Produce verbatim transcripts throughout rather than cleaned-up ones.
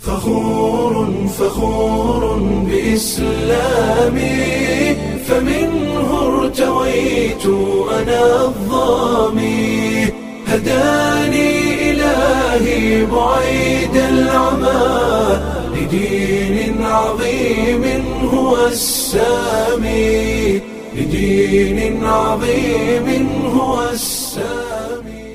فخور فخور بإسلامي، فمنه ارتويت أنا الظامي، هداني إلهي بعيد العمى لدين عظيم هو السامي، لدين عظيم هو السامي.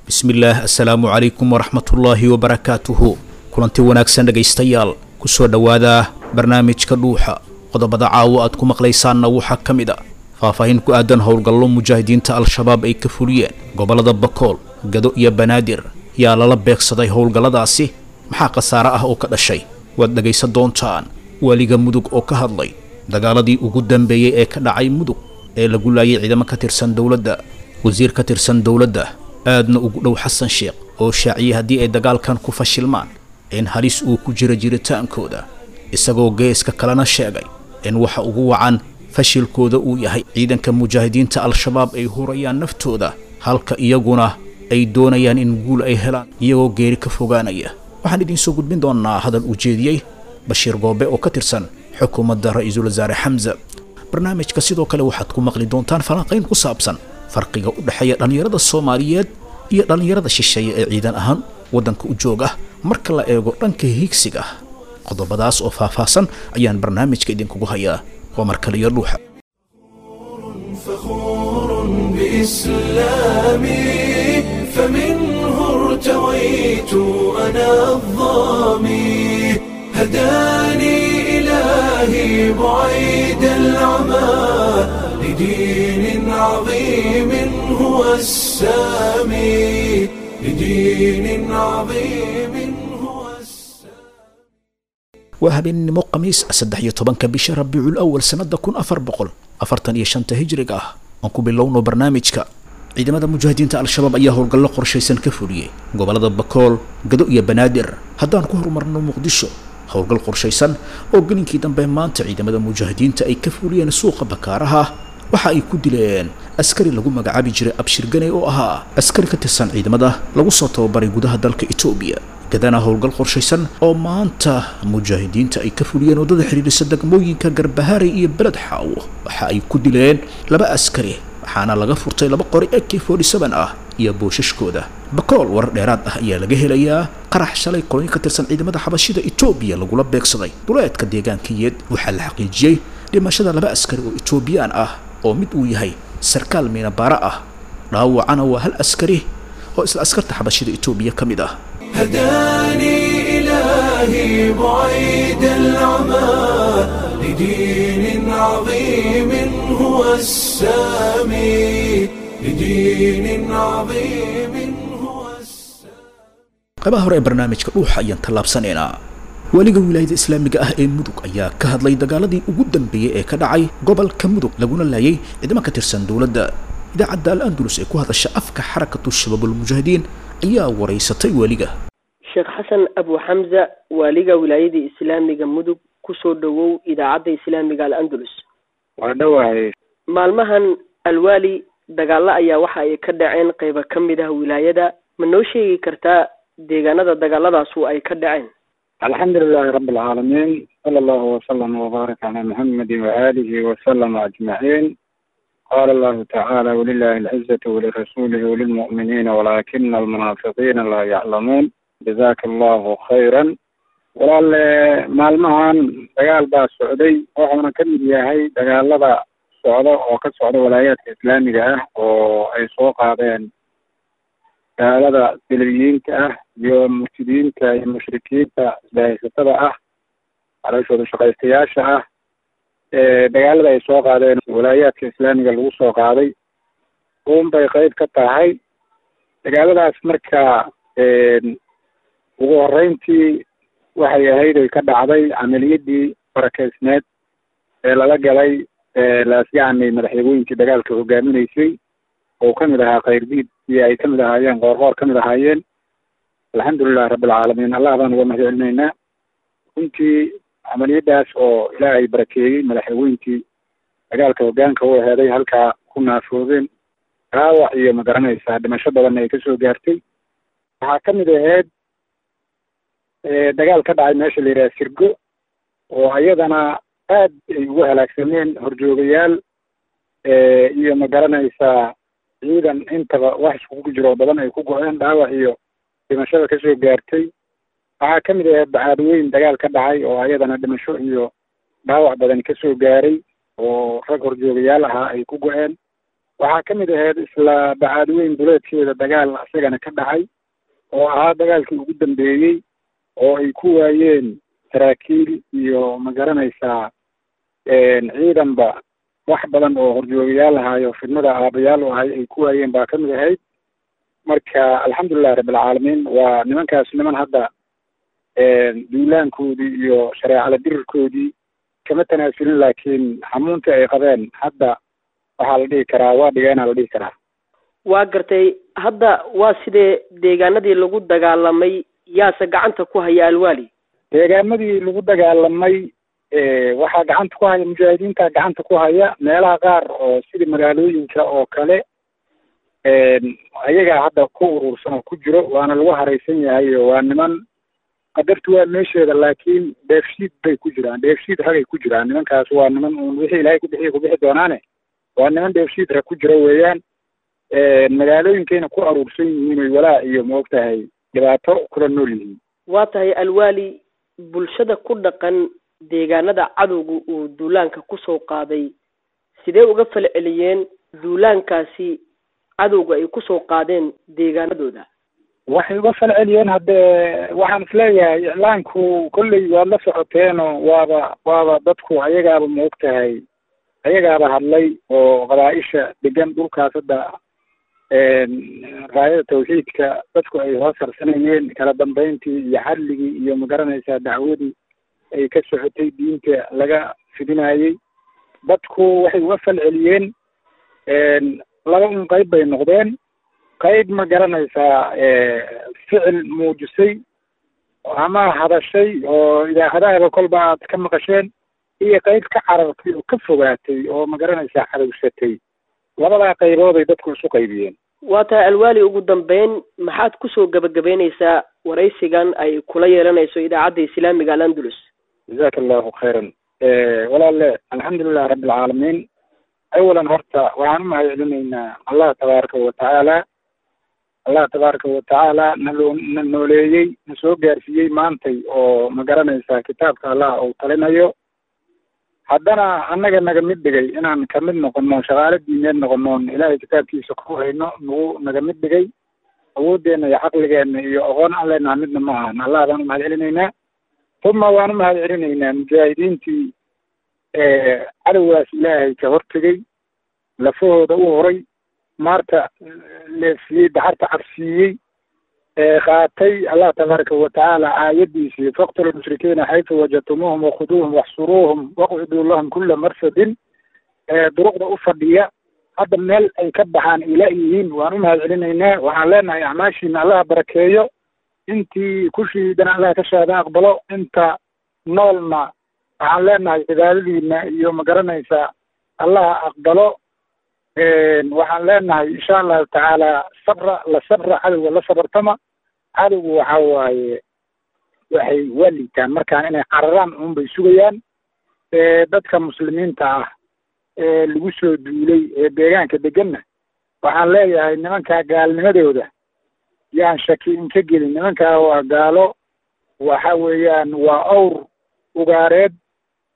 Bismillaah, assalaamu calaykum waraxmatullaahi wabarakaatuhu. Kulanti wanaagsan dhegaystayaal, kusoo dhowaada barnaamijka Dhuuxa. Qodobada caawo aad ku maqlaysaanna waxaa ka mid a faahfaahin ku aadan howlgallo mujaahidiinta Al-Shabaab ay ka fuliyeen gobollada Bakool, Gado iyo Banaadir. Yaa lala beegsaday howlgalladaasi? Maxaa khasaare ah oo ka dhashay? Waad dhegaysan doontaan. Waaliga Mudug oo ka hadlay dagaaladii ugu dambeeyey ee ka dhacay Mudug ee lagu laayay ciidamo ka tirsan dowladda. Wasiir ka tirsan dowladda aadna ugu dhow Xasan Sheekh oo shaaciyey haddii ay dagaalkan ku fashilmaan in halis uu ku jiro jiritaankooda, isagoo geeska kalena sheegay in waxa ugu wacan fashilkooda uu yahay ciidanka mujaahidiinta Al-Shabaab ay hurayaan naftooda, halka iyaguna ay doonayaan in guul ay helaan iyagoo geeri ka fogaanaya. Waxaan idiin soo gudbin doonaa hadal uu jeediyey Bashiir Goobe oo ka tirsan xukuumadda ra-iisul wasaare Xamza. Barnaamijka sidoo kale waxaad ku maqli doontaan falanqayn ku saabsan farqiga u dhexeeya dhallinyarada Soomaaliyeed iyo dhallinyarada shisheeye ee ciidan ahaan waddanka u jooga marka la eego dhanka hiigsiga. Qodobadaas oo faahfaahsan ayaan barnaamijka idinkugu hayaa. Waa mar kale iyo Dhuuxa. فخور بإسلامي، فمنه ارتويت أنا الظامي، هداني إلهي بعيد العمى لدين عظيم هو السامي، لدين عظيم هو السامي. Waa habeennimo Khamiis, saddex iyo tobanka bisha Rabiicul Awal sanada kun afar boqol afartan iyo shanta hijriga ah. Aan ku bilowno barnaamijka. Ciidamada mujaahidiinta Al-Shabaab ayaa howlgallo qorshaysan ka fuliyey gobollada Bakool, Gado iyo Banaadir. Haddaan ku horumarno Muqdisho, howlgal qorshaysan oo gelinkii dambe maanta ciidamada mujaahidiinta ay ka fuliyeen suuqa Bakaaraha waxa ay ku dileen askari lagu magacaabi jiray Abshir Ganey oo ahaa askari ka tirsan ciidamada lagu soo tababaray gudaha dalka Itoobiya. Gadana howlgal qorshaysan oo maanta mujaahidiinta ay ka fuliyeen waddada xidhiidhisa degmooyinka Garbaharey iyo Beled Xaawo waxa ay ku dileen laba askari, waxaana laga furtay laba qori A K ah iyo boosashkooda. Bakool warar dheeraad ah ayaa laga helayaa qarax shalay kolonyo ka tirsan ciidamada xabashida Itoobiya lagula beegsaday duleedka deegaanka Yeed. Waxaa la xaqiijiyey dhimashada laba askari oo Itoobiyaan ah oo mid uu yahay sarkaal miinabaara ah, dhaawacana waa hal askari oo isla askarta xabashida Itoobiya ka mid ah. هداني إلهي بعيد العمى لدين عظيم هو السامي، لدين عظيم هو السامي. Qaybaha hore ee barnaamijka Dhuuxa ayaan tallaabsanaynaa. Weliga wilaayada islaamiga ah ee Mudug ayaa ka hadlay dagaaladii ugu dambeeyey ee ka dhacay gobolka Mudug laguna laayay ciidamo ka tirsan dowladda. Idaacadda Al Andalus ee ku hadasha afka Xarakatu Shabaabulmujaahidiin ayaa waraysatay weliga. Sheekh Xasan Abu Xamza, waaliga wilaayada islaamiga Mudug, kusoo dhowow idaacadda islaamiga Al Andalus. Waa dhowahay. Maalmahan, alwaali, dagaalo ayaa waxa ay ka dhaceen qeybo ka mid ah wilaayada. Ma noo sheegi kartaa deegaanada dagaaladaasu ay ka dhaceen? Alxamdu lilahi rabi alcaalamiin, sala allahu wasalama wabaarak calaa muxamedi waaalihi wasalama ajmaciin. Qaala allahu tacaala: walilahi alcizatu walirasuulihi walilmu'miniina walaakina almunaafiqiina laa yaclamuun. Jazaka allahu khayran. Walaale, maalmahan dagaal baa socday, wuxuuna ka mid yahay dagaalada socda oo ka socda walaayaadka islaamiga ah oo ay soo qaadeen gaalada salibiyiinta ah iyo murtidiinta iyo mushrikiinta isbahaysatada ah, calooshooda shaqaystayaasha ah. Dagaalada ay soo qaadeen walaayaadka islaamiga lagu soo qaaday uun bay qeyb ka tahay dagaaladaas. Marka ugu horeyntii waxay ahayd oy ka dhacday camaliyadii barakeysneed ee lala galay Laasgacmay, madaxweynkii dagaalka hogaaminaysay oo kamid ahaa Khayrdiid iyo ay kamid ahaayeen Qoorqoor kamid ahaayeen. Alxamdulilahi rabbilcaalamiin, Allah baan uga mahad celinaynaa runtii camaliyadaas oo Ilaahay barakeeyey. Madaxweynkii dagaalka hogaanka u aheeday halkaa ku naafoobeen, dhaawac iyo magaranaysaa dhimasho badanna ay kasoo gaartay. Waxaa kamid ahayd Dagaal ka dhacay meesha la yidhaha Sirgo, oo iyadana aad ay ugu halaagsameen horjoogayaal iyo ma garanaysaa ciidan, intaba wax iskugu jiro badan ay ku go-een, dhaawac iyo dhimashada kasoo gaartay. Waxaa kamid ahayd Bacaadweyn dagaal ka dhacay oo ayadana dhimasho iyo dhaawac badan kasoo gaaray oo rag horjoogayaal ahaa ay ku go-een. Waxaa kamid ahayd isla Bacaadweyn duleedkeeda dagaal isagana ka dhacay oo ahaa dagaalkii ugu dambeeyey oo ay ku waayeen saraakiil iyo ma garanaysaa ciidanba wax badan oo horjoogayaal ahaayo fidnada aabayaal u ahay ay ku waayeen baa kamid ahayd. Marka alxamdulillahi rabbilcaalamiin, waa nimankaas niman hadda duulaankoodii iyo shareecala dirirkoodii kama tanaasulin, laakiin xamuuntii ay qabeen hadda waxaa la dhihi karaa waa dhigeenaa la dhihi karaa. Waa gartay. Hadda waa sidee deegaanadii lagu dagaalamay, yaase gacanta ku haya Alwaali? Deegaamadii lagu dagaalamay waxaa gacanta ku haya mujaahidiinta gacanta ku haya. Meelaha qaar oo sidii magaalooyinka oo kale ayagaa hadda ku urursan oo ku jiro, waana lagu haraysan yahay oo waa niman qadartu waa meesheeda, laakiin dheefshiid bay ku jiraan, dheefshiid ragay ku jiraan nimankaas. Waa niman uun wixii Ilaahay ku bixiya ku bixi doonaane, waa niman dheefshiid rag ku jiro weeyaan. Magaalooyinkayna ku aruursan yihiin oy walaa iyo maogtahay dhibaato kula nool yihiin. Waa tahay Alwaali, bulshada ku dhaqan deegaanada cadowga uu duulaanka kusoo qaaday sidee uga falceliyeen duulaankaasi cadowga ay kusoo qaadeen deegaanadooda? Waxay uga falceliyeen haddee waxaan isleeyahay iclaanku kolley waad la socoteenoo waaba waaba dadku ayagaaba maogtahay ayagaaba hadlay oo qabaa-isha degan dhulkaas hadda raayada tawxiidka dadku ay hoos harsanayeen, kala dambeyntii iyo xadligii iyo ma garanaysaa dacwadii ay ka socotay diinta laga fidinayey, dadku waxay uga falceliyeen laba un qayb bay noqdeen. Qayb ma garanaysaa ficil muujisay ama hadashay oo idaacadahaba kolba aad ka maqasheen, iyo qayb ka carartay oo ka fogaatay oo ma garanaysaa cadowsatay. Labadaa qaybood ay dadku isu qaybiyeen. Waa tahay Alwaali, ugu dambeyn maxaad kusoo gabagabeyneysaa waraysigan ay kula yeelanayso idaacadda islaamiga Al-Andalus? Jazaaka allahu khayran walaalle, alxamdulilah rabbilcaalamiin. Awalan horta waxaan u mahadcelinaynaa Allah tabaaraka watacaala, Allah tabaaraka watacaala naloo na nooleeyey, na soo gaarsiiyey maantay oo ma garanaysaa kitaabka Allah uu talinayo, haddana annaga naga mid dhigay inaan kamid noqono shaqaale diineed noqonoon Ilaahay kitaabkiisa ku hayno, nagu naga mid dhigay. Awooddeena iyo caqligeena iyo aqoon aan leenaha midna ma ahan. Allah baan u mahadcelinaynaa. Uma waan u mahadcelinaynaa mujaahidiintii cadowgaas Ilaahay ka hortegay, lafahooda u horay, maarta leefiyey, daxarta cabsiiyey, qaatay Allah tabaaraka watacaala aayadiisii faqtulu lmushrikiina xaytu wajadtumuuhum wakhuduuhum waxsuruuhum waqcuduu lahum kula marsadin, duruqda u fadhiya hadda meel ay ka baxaan ila yihiin. Waan u mahadcelinaynaa. Waxaan leenahay acmaashiina Allaha barakeeyo, intii ku shiidana Allah ka shaada aqbalo, inta noolna waxaan leenahay cibaadadiina iyo ma garanaysaa Allaha aqbalo. Waxaan leenahay insha allahu tacaala sabra la sabra, cadowga la sabartama. Cadowgu waxa waaye waxay waa liitaan markaan inay cararaan uun bay sugayaan. Dadka muslimiinta ah ee lagu soo duulay ee deegaanka deganna waxaan leeyahay nimankaa gaalnimadooda yaan shaki inka gelin. Nimankaa waa gaalo, waxa weeyaan waa awr ugaareed,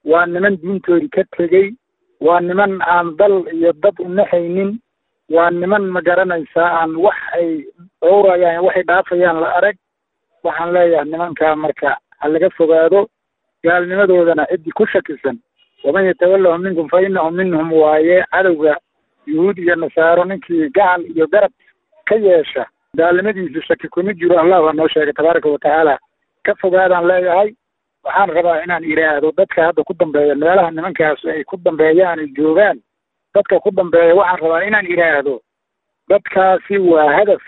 waa niman diintoodii ka tegey, waa niman aan dal iyo dad u naxaynin, waa niman ma garanaysaa aan wax ay dhowrayaan waxay dhaafayaan la arag. Waxaan leeyahay nimankaa marka ha laga fogaado, gaalnimadoodana ciddii ku shakisan waman yatawallahum minkum fa innahum minhum waaye. Cadowga yuhuud iyo nasaaro ninkii gacal iyo garab ka yeesha gaalnimadiisu shaki kuma jiro, Allah waa noo sheegay tabaaraka watacaala. Ka fogaadaan leeyahay. Waxaan rabaa inaan idhaahdo dadka hadda ku dambeeya meelaha nimankaas ay ku dambeeyaan ay joogaan, dadka ku dambeeya waxaan rabaa inaan idhaahdo dadkaasi waa hadaf,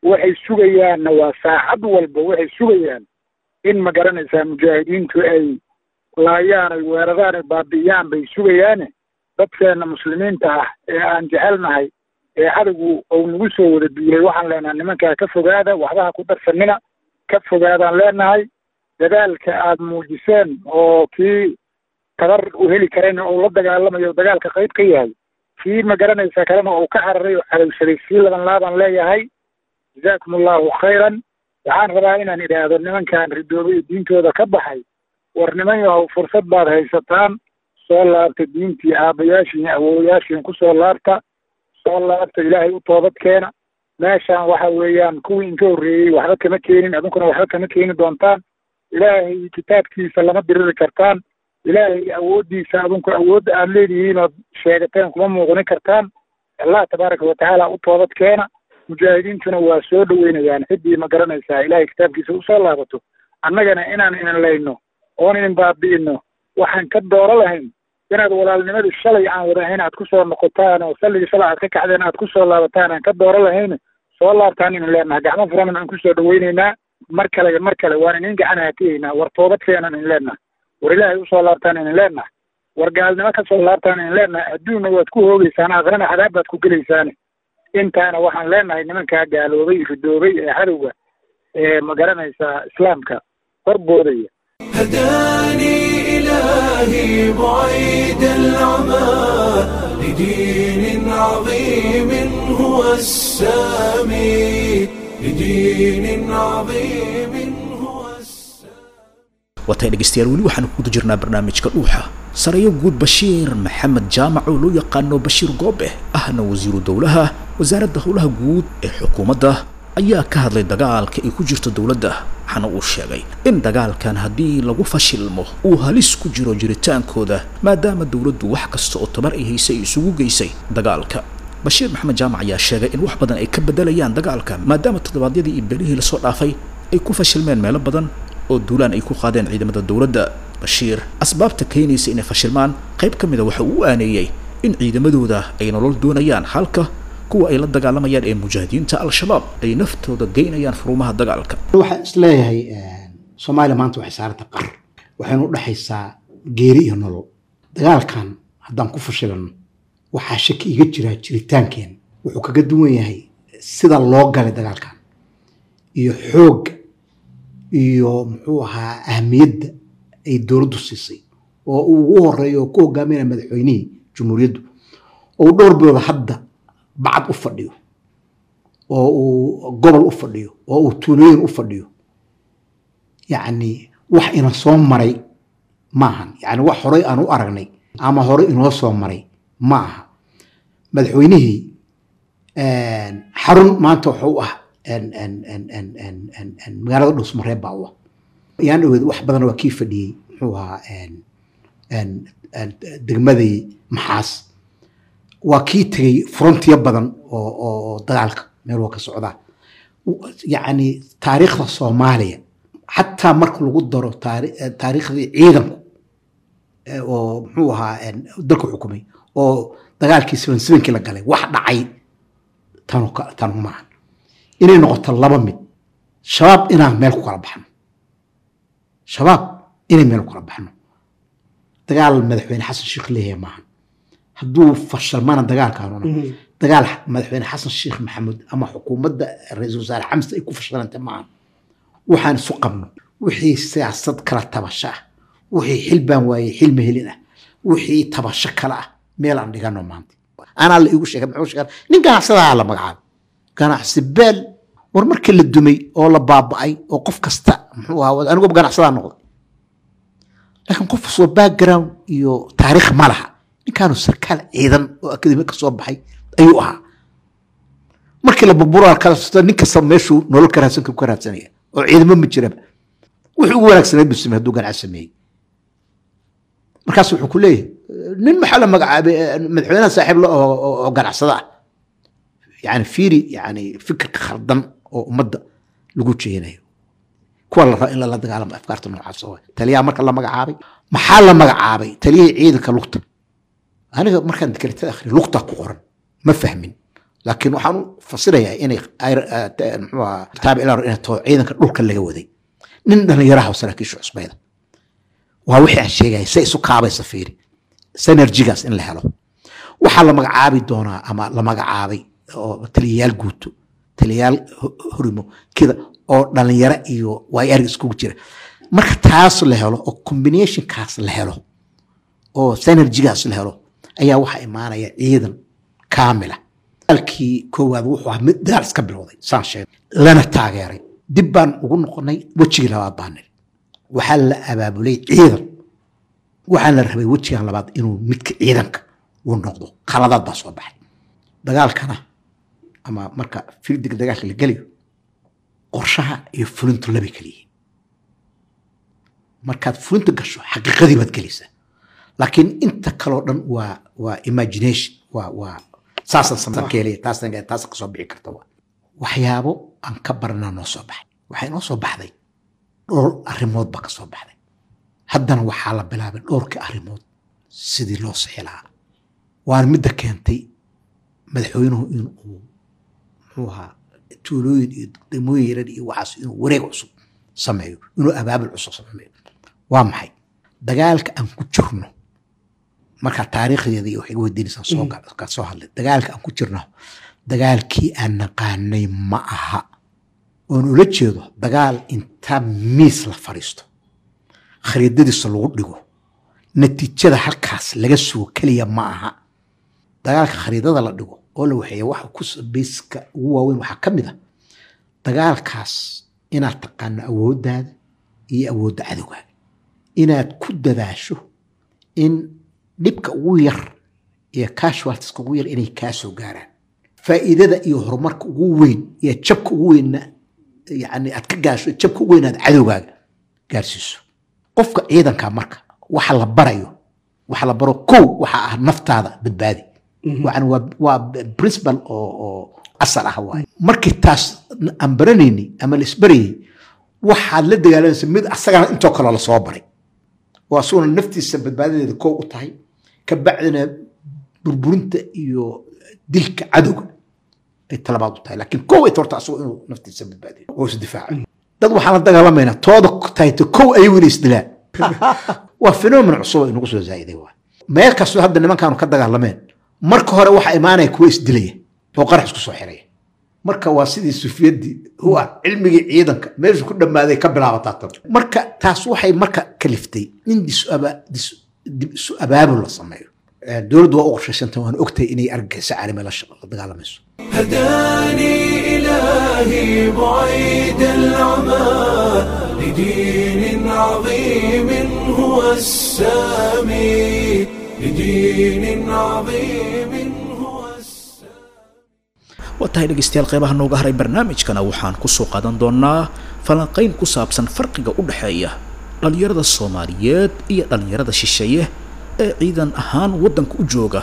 waxay sugayaanna waa saacad walba waxay sugayaan in ma garanaysaa mujaahidiintu ay laayaan, ay weeraraan, ay baabi'iyaan bay sugayaane. Dadkeena muslimiinta ah ee aan jecelnahay ee cadowgu uu nagu soo wada duulay waxaan leenahay nimankaa ka fogaada, waxbaha ku darsanina, ka fogaadaan leenahay. Dadaalka aada muujiseen oo kii tabar u heli karayna uu la dagaalamayo, dagaalka qayb ka yahay, kii ma garanaysaa kalena uu ka cararay oo cadowsaday, sii laban laabaan leeyahay, jazaakum allahu khayran. Waxaan rabaa inaan idhaahdo nimankan ridoobay diintooda ka baxay, war niman yahow, fursad baad haysataan, soo laabta diintii aabbayaashiin awoowayaashiin kusoo laabta, soo laabta, Ilaahay u toobad keena. Meeshaan waxa weeyaan kuwii inka horreeyey waxba kama keenin, adinkuna waxba kama keeni doontaan. Ilaahay kitaabkiisa lama diriri kartaan, Ilaahay awooddiisa adinku awoodda aada leedihiin ood sheegateen kuma muuqnin kartaan. Allah tabaaraka watacaala u toobad keena. Mujaahidiintuna waa soo dhaweynayaan ciddii ma garanaysaa Ilaahay kitaabkiisa usoo laabato. Annagana inaan inin layno oon inin baabi'ino waxaan ka dooro lahayn inaad walaalnimadii shalay aan wada ahayn aad kusoo noqotaan oo salligii shalay aad ka kacdeen aad kusoo laabataan aan ka dooro lahayn. Soo laabtaan inin leenaha, gacmo furan aan kusoo dhaweyneynaa. Mar kale iyo mar kale waan inin gacan haatiyeynaa. War toobad keenan inin leenaha, war Ilaahay usoo laabtaan inin leenaha, war gaalnimo kasoo laabtaan inin leenaha. Adduunna waad ku hoogeysaan, aakhirana cadaab baad ku gelaysaane. Intaana waxaan leenahay nimankaa gaaloobay, ridoobay ee cadowga ee ma garanaysaa islaamka horboodaya. هداني إلهي بعيد العمى لدين عظيم هو السامي، لدين عظيم هو السامي. Waatay dhegeystayaal, weli waxaanu ku guda jirnaa barnaamijka Dhuuxa. Sareeyo guud Bashiir Maxamed Jaamac oo loo yaqaano Bashiir Goobe, ahna wasiiru dowlaha wasaaradda howlaha guud ee xukuumadda, ayaa ka hadlay dagaalka ay ku jirto dowladda, waxaana uu sheegay in dagaalkan haddii lagu fashilmo uu halis ku jiro jiritaankooda, maadaama dowladdu wax kasta oo tabar ay haysay ay isugu geysay dagaalka. Bashiir Maxamed Jaamac ayaa sheegay in wax badan ay ka bedelayaan dagaalka, maadaama toddobaadyadii iyo belihii lasoo dhaafay ay ku fashilmeen meelo badan oo duulaan ay ku qaadeen ciidamada dowladda. Bashiir asbaabta keenaysa inay fashilmaan qayb ka mida waxa uu u aaneeyey in ciidamadooda ay nolol doonayaan, halka kuwa ay la dagaalamayaan ee mujaahidiinta Al-Shabaab ay naftooda geynayaan furumaha dagaalka. Waxaan isleeyahay Soomaaliya maanta waxay saaranta qar, waxaynu u dhexaysaa geeri iyo nolol. Dagaalkan haddaan ku fashilano waxaa shaki iga jiraa jiritaankeen. Wuxuu kaga duwan yahay sida loo galay dagaalkan iyo xoogga iyo muxuu ahaa ahmiyadda ay dowladdu siisay oo uu ugu horeeyo oo ku hogaaminaya madaxweynihii jumhuuriyaddu, oo uu dhowr bilood hadda bacad u fadhiyo, oo uu gobol u fadhiyo, oo uu tuulooyin u fadhiyo. Yacni wax ina soo maray maahan, yacni wax horey aan u aragnay ama horey inoo soo maray ma aha. Madaxweynihii xarun maanta wuxuu u ah magaalada Dhuusmareeb baa u ah. Yaan dhaweed wax badan waa kii fadhiyey muxuu ahaa degmadii Maxaas, waa kii tegey frontiyo badan oo oo dagaalka meel waa ka socdaa. Yacni taariikhda Soomaaliya xataa marka lagu daro taariikhdii ciidanku oo muxuu ahaa dalka xukumay oo dagaalkii seven sevenkii la galay wax dhacay tanu tanu maahan. Inay noqoto laba mid: Shabaab inaan meel ku kala baxno, Shabaab inay meel ku kala baxno. Dagaal madaxweyne Xasan Sheekh leeyahay maahan. Hadduu fashalmana dagaalkaanuna dagaal madaxweyne Xasan Sheekh Maxamuud ama xukuumadda ra-iisul wasaare Xamse ay ku fashilantay maahan. Waxaan isu qabno wixii siyaasad kala tabasho ah, wixii xil baan waayey xil mahelin ah, wixii tabasho kale ah meel aan dhigano. Maanta anaa la iigu sheegay, muxuu sheegay? Nin ganacsadaha la magacaabay, ganacsi beel. War markii la dumay oo la baaba'ay oo qof kasta muxuu ahaa, aniguba ganacsadaa noqday, laakiin qof soo background iyo taariikh ma laha. Ninkaanu sarkaal ciidan oo akademi ka soo baxay ayuu ahaa. Markii la burburo kala nin kasta meeshuu nolol ka raadsan ka raadsanaya oo ciidamo ma jiraba, wuxuu ugu wanaagsaneed buu sameeyey hadduu ganacsi sameeyey. Markaas wuxuu ku leeyahay nin maxaa la magacaabay madaxweynaha saaxiib la oo ganacsada ah. Yani fiiri, yani fikirka khaldan oo ummadda lagu jeenayo kuwa la raba in lala dagaalamo afkaarta noocaas oo taliyaha marka la magacaabay. Maxaa la magacaabay? Taliyihii ciidanka lugta. Aniga markaan dekretada akhriyo lugta ku qoran ma fahmin, laakiin waxaan u fasirayaa inay muxuu ahaa taabic inay taho ciidanka dhulka laga waday, nin dhalinyaraha oo saraakiisha cusbayda. Waa wixii aan sheegaya say isu kaabaysa. Fiiri synergigaas in la helo. Waxaa la magacaabi doonaa ama la magacaabay oo taliyayaal guuto, taliyayaal horimo kida oo dhalinyaro iyo waay arag iskugu jira. Marka taas la helo oo combinationkaas la helo oo synergygaas la helo, ayaa waxaa imaanaya ciidan kaamila. Dagaalkii koowaad wuxuu ahaa mid dagaal iska bilowday, saan sheegay, lana taageeray. Dib baan ugu noqonay, wejigii labaad baan niri waxaa la abaabulay ciidan. Waxaa la rabay wejigan labaad inuu midka ciidanka uu noqdo. Khaladaad baa soo baxay dagaalkana, ama marka fieldiga dagaalka la gelayo, qorshaha iyo fulintu labay kala yihiin. Markaad fulinta gasho, xaqiiqadii baad gelaysaa, laakiin inta kaloo dhan waa waa imagination, waa waa saasaan sameyn keelaya, taasaan taasaan kasoo bixi karta. Waa waxyaabo aan ka baranaa noo soo baxay. Waxay noo soo baxday dhowr arrimood baa ka soo baxday. Haddana waxaa la bilaabay dhowrkii arrimood sidii loo sixi lahaa, waana midda keentay madaxweynuhu in uu muxuu ahaa tuulooyin iyo degmooyin yarar iyo waxaas inuu wareeg cusub sameeyo, inuu abaabul cusub sameeyo. Waa maxay dagaalka aan ku jirno? Markaa taariikhdeeda iyo waxay iga weydiinaysaa soo ka soo hadlay. Dagaalka aan ku jirno dagaalkii aan naqaanay ma aha, oon ula jeedo dagaal inta miis la fadhiisto, khariidadiisa lagu dhigo, natiijada halkaas laga sugo keliya ma aha. Dagaalka khariidada la dhigo oo la waxeeya waxa ku biiska ugu waaweyn waxaa ka mid ah dagaalkaas inaad taqaano awooddaada iyo awoodda cadowgaaga, inaad ku dadaasho in dhibka ugu yar iyo casualtieska ugu yar inay kaa soo gaaraan, faa'iidada iyo horumarka ugu weyn iyo jabka ugu weynna yani aad ka gaasho, jabka ugu weyn aad cadowgaaga gaarsiiso. Qofka ciidanka marka waxa la barayo, waxa la baro kow waxa ah naftaada badbaadi. Yani waa waa principle oo oo asal ah waaye. Markii taas aan baranaynay ama la isbarayay, waxaad la dagaalamaysa mid asagana intoo kale lasoo baray oo asaguna naftiisa badbaadadeeda kow u tahay, ka bacdina burburinta iyo dilka cadowga ay talabaad u tahay, laakiin kow ay horta asagu inuu naftiisa badbaadiyo oo isdifaaco. Dad waxaan la dagaalamaynaa tooda tahayto kow ayagu inay isdilaan. Waa phenomenon cusub oo inagu soo zaa'iday. Waa meel kastoo hadda nimankaanu ka dagaalameen, marka hore waxaa imaanaya kuwa isdilaya oo qarax isku soo xiraya. Marka waa sidii sufiyadii huwa cilmigii ciidanka meeshu ku dhammaaday ka bilaabataa tan. Marka taas waxay marka kaliftay in dib isu abaabul la sameeyo. Dowladdu waa u qorshaysantay, waan ogtahay inay argagixisa caalami la dagaalamayso. هداني إلهي بعيد العمى لدين عظيم هو السامي، لدين عظيم هو السامي. Waa tahay dhegaystayaal, qeybaha nooga haray barnaamijkana waxaan kusoo qaadan doonaa falanqayn ku saabsan farqiga u dhexeeya dhallinyarada Soomaaliyeed iyo dhallinyarada shisheeye ee ciidan ahaan waddanka u jooga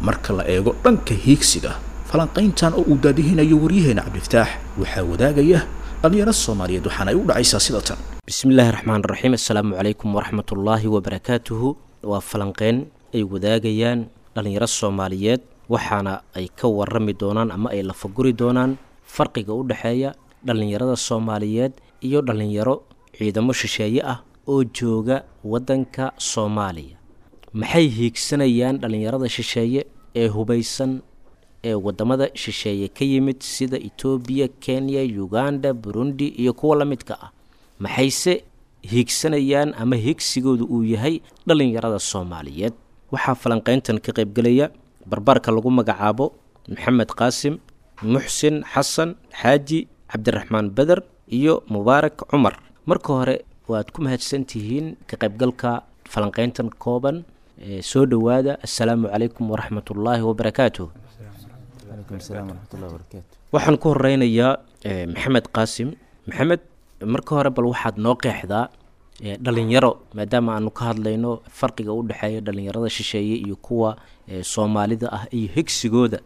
marka la eego dhanka hiigsiga. Falanqayntan oo uu daadihinayo waryaheena Cabdifataax waxaa wadaagaya dhallinyaro Soomaaliyeed, waxaana ay u dhacaysaa sida tan. Bismi illaahi raxmaan raxiim, assalaamu calaykum waraxmatullaahi wabarakaatuhu. Waa falanqeyn ay wadaagayaan dhallinyaro Soomaaliyeed, waxaana ay ka warami doonaan ama ay lafaguri doonaan farqiga u dhexeeya dhallinyarada Soomaaliyeed iyo dhallinyaro ciidamo shisheeye ah oo jooga waddanka Soomaaliya. Maxay hiigsanayaan dhallinyarada shisheeye ee hubaysan ee waddamada shisheeye ka yimid sida Itoobiya, Kenya, Uganda, Burundi iyo kuwa la midka ah? Maxayse hiigsanayaan ama hiigsigoodu uu yahay dhallinyarada Soomaaliyeed? Waxaa falanqeyntan ka qaybgelaya barbaarka lagu magacaabo Maxamed Qaasim, Muxsin Xasan Xaaji, Cabdiraxmaan Beder iyo Mubaarak Cumar. Marka hore waad ku mahadsantihiin ka qaybgalka falanqeyntan kooban. Soo dhowaada, assalaamu calaykum waraxmatullaahi wabarakaatuh. Waxaan ku horeynayaa Maxamed Qaasim. Maxamed, marka hore bal waxaad noo qeexdaa dhalinyaro, maadaama aanu ka hadlayno farqiga u dhexeeya dhalinyarada shisheeye iyo kuwa Soomaalida ah iyo higsigooda.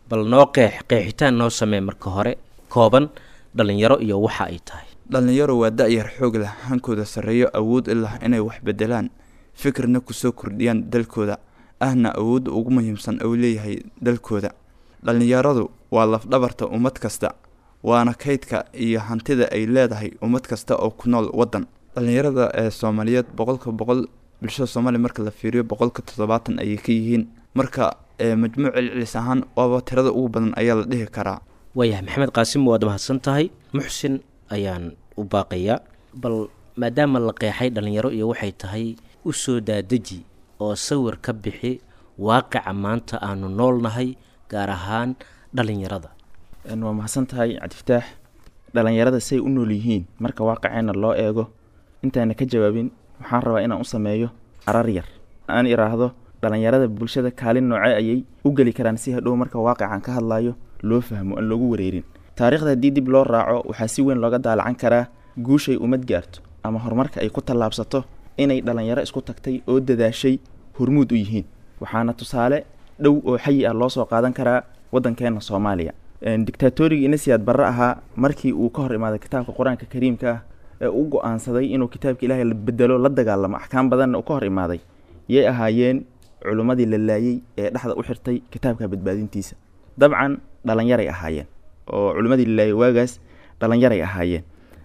Bal noo qeex, qeexitaan noo samee marka hore kooban, dhalinyaro iyo waxa ay tahay. Dhallinyaro waa da-yar xoog leh, hankooda sarreeyo, awood u lah inay wax bedelaan, fikirna kusoo kordhiyaan dalkooda, ahna awoodda ugu muhiimsan uu leeyahay dalkooda. Dhallinyaradu waa lafdhabarta ummad kasta, waana kaydka iyo hantida ay leedahay ummad kasta oo ku nool waddan. Dhallinyarada ee Soomaaliyeed boqolka boqol bulshada Soomaaliya marka la fiiriyo boqolka toddobaatan ayay ka yihiin. Marka majmuuc celcelis ahaan waaba tirada ugu badan ayaa la dhihi karaa. Waayahay Maxamed Qaasim, waad mahadsan tahay. Muxsin ayaan u baaqayaa. Bal Maadaama la qeexay dhalinyaro iyo waxay tahay, u soo daadeji oo sawir ka bixi waaqica maanta aanu noolnahay, gaar ahaan dhalinyarada. Waa mahadsan tahay, Cabdifataax. Dhalinyarada say u nool yihiin marka waaqiceenna loo eego, intaana ka jawaabin waxaan rabaa inaan u sameeyo arar yar, aan iraahdo dhalinyarada bulshada kaalin noocee ayay u geli karaan, si hadhow marka waaqican ka hadlayo loo fahmo, aan loogu wareerin. Taariikhda haddii dib loo raaco, waxaa si weyn looga daalacan karaa guushay ummad gaarto ama horumarka ay ku tallaabsato inay dhalinyaro isku tagtay oo dadaashay hormuud u yihiin. Waxaana tusaale dhow oo xayi ah loo soo qaadan karaa waddankeenna Soomaaliya. Dictaatorigii Inasiyaad Barre ahaa, markii uu ka hor imaaday kitaabka Qur-aanka Kariimka ah ee u go-aansaday inuu kitaabka Ilaahay la bedelo, la dagaalamo, axkaam badanna uu ka hor imaaday, yay ahaayeen culummadii la laayey ee dhexda u xirtay kitaabka badbaadintiisa? Dabcan dhalinyaray ahaayeen, oo culimmadii la laayay waagaas dhalinyaray ahaayeen.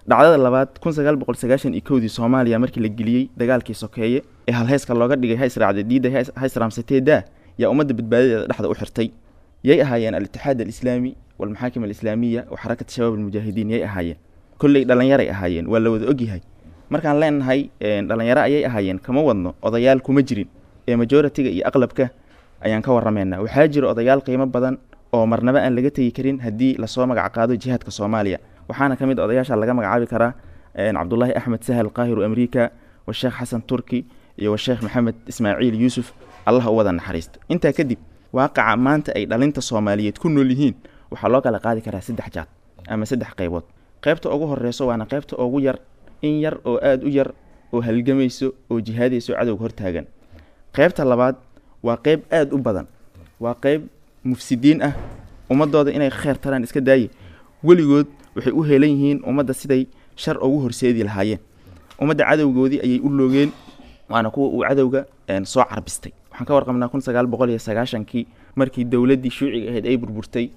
Dhacdada labaad, kun sagaal boqol sagaashan iyo kowdii Soomaaliya markii la geliyey dagaalkii sokeeye ee halheeska looga dhigay ha israacday diidda ha israamsatee daa, yaa ummadda badbaadadeeda dhexda u xirtay? Yay ahaayeen? Al-Itixaad Alislaami walmaxaakim Alislaamiya wa Xarakat Shabaab Almujaahidiin yay ahaayeen? Kolley dhalinyaray ahaayeen, waa la wada ogyahay. Markaan leenahay dhalinyaro ayay ahaayeen, kama wadno odayaal kuma jirin, ee majoritiga iyo aqlabka ayaan ka warrameynaa. Waxaa jira odayaal qiimo badan oo marnaba aan laga tegi karin haddii lasoo magac qaado jihaadka Soomaaliya. Waxaana ka mid odayaasha laga magacaabi karaa Cabdullaahi Axmed Sahal Qaahiru Amriika, washeekh Xasan Turki iyo washeekh Maxamed Ismaaciil Yuusuf, Allah u wada naxariisto. Intaa kadib, waaqaca maanta ay dhalinta Soomaaliyeed ku nool yihiin waxaa loo kala qaadi karaa saddex jaad ama saddex qaybood. Qaybta ugu horeyso, waana qaybta ugu yar, in yar oo aada u yar oo halgamayso oo jihaadayso, cadowga hortaagan. Qaybta labaad waa qayb aada u badan, waa qayb mufsidiin ah, ummadooda inay kheer taraan iska daaye, weligood waxay u heelan yihiin ummadda siday shar ugu horseedi lahaayeen. Ummadda cadowgoodii ayay u loogeen, waana kuwa uu cadowga soo carbistay. Waxaan ka warqabnaa kun sagaal boqol iyo sagaashankii markii dowladdii shuuciga ahayd ay burburtay,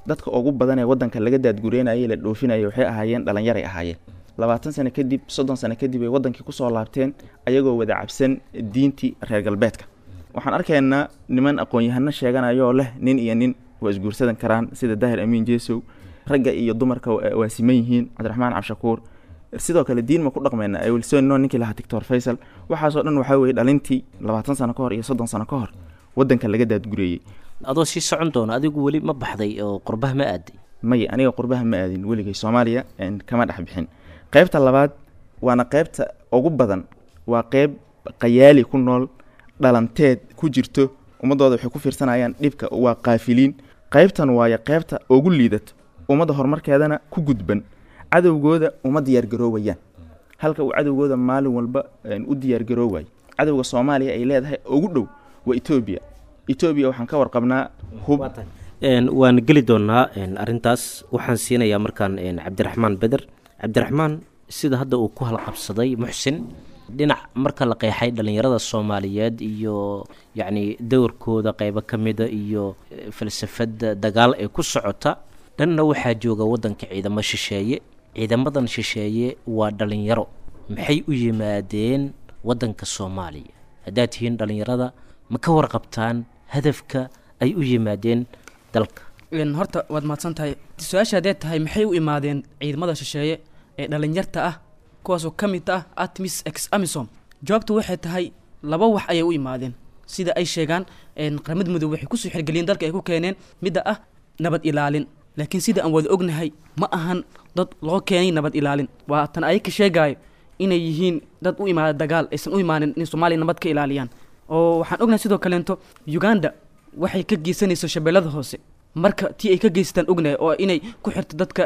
dadka ugu badan ee waddanka laga daadgureynayay, la dhoofinayay, waxay ahaayeen dhalinyaray ahaayeen. Labaatan sano kadib, soddon sano kadib ay waddankii kusoo laabteen ayagoo wada cabsan diintii reer galbeedka. Waxaan arkaynaa niman aqoon-yahano sheeganayoo leh nin iyo nin waa isguursadan karaan, sida Daahir Amiin Jeesow, ragga iyo dumarka waa siman yihiin, Cabdiraxmaan Cabshakuur. Sidoo kale diin ma ku dhaqmayna wilson ninkii lahaa, Doctor Faysal. Waxaasoo dhan waxaa weeye dhalintii labaatan sano ka hor iyo soddon sano ka hor waddanka laga daadgureeyey. Adoo sii socon doona, adigu weli ma baxday oo qurbaha ma aaday? Maya, aniga qurbaha ma aadin weligay, Soomaaliya kama dhex bixin. Qaybta labaad, waana qaybta ugu badan, waa qayb qayaali ku nool, dhalanteed ku jirto, ummadooda waxay ku fiirsanayaan dhibka, waa qaafiliin. Qaybtan waayo qaybta ugu liidato, ummadda horumarkeedana ku gudban, cadowgooda uma diyaargaroowayaan halka uu cadowgooda maalin walba u diyaargaroowayo. Cadowga Soomaaliya ay leedahay ugu dhow waa Etoobiya. Etoobiya waxaan ka warqabnaa hub. Waan geli doonaa arrintaas. Waxaan siinayaa markaan Cabdiraxmaan Beder. Cabdiraxmaan, sida hadda uu ku halqabsaday Muxsin, dhinac marka la qeexay dhalinyarada Soomaaliyeed iyo yacni dowrkooda qeybo ka mida iyo falsafadda dagaal ee ku socota, dhanna waxaa jooga waddanka ciidamo shisheeye. Ciidamadan shisheeye waa dhalinyaro, maxay u yimaadeen waddanka Soomaaliya? Haddaad tihiin dhalinyarada, ma ka warqabtaan hadafka ay u yimaadeen dalka? Horta waad mahadsan tahay. Su-aasha haddee tahay maxay u imaadeen ciidamada shisheeye ee dhalinyarta ah, kuwaasoo ka mid ah ATMIS ex AMISOM, jawaabtu waxay tahay laba wax ayay u imaadeen. Sida ay sheegaan Qaramada Midoobe, waxay kusoo xirgeliyeen dalka ay ku keeneen midda ah nabad ilaalin, laakiin sida aan wada ognahay ma ahan dad loo keenay nabad ilaalin. Waa tan ayaka sheegaayo inay yihiin dad u imaada dagaal, aysan u imaanin in Soomaaliya nabad ka ilaaliyaan. Oo waxaan ognahay sidoo kaleento Uganda waxay ka geysanayso Shabeellada Hoose, marka tii ay ka geystaan ognahay oo inay ku xirto dadka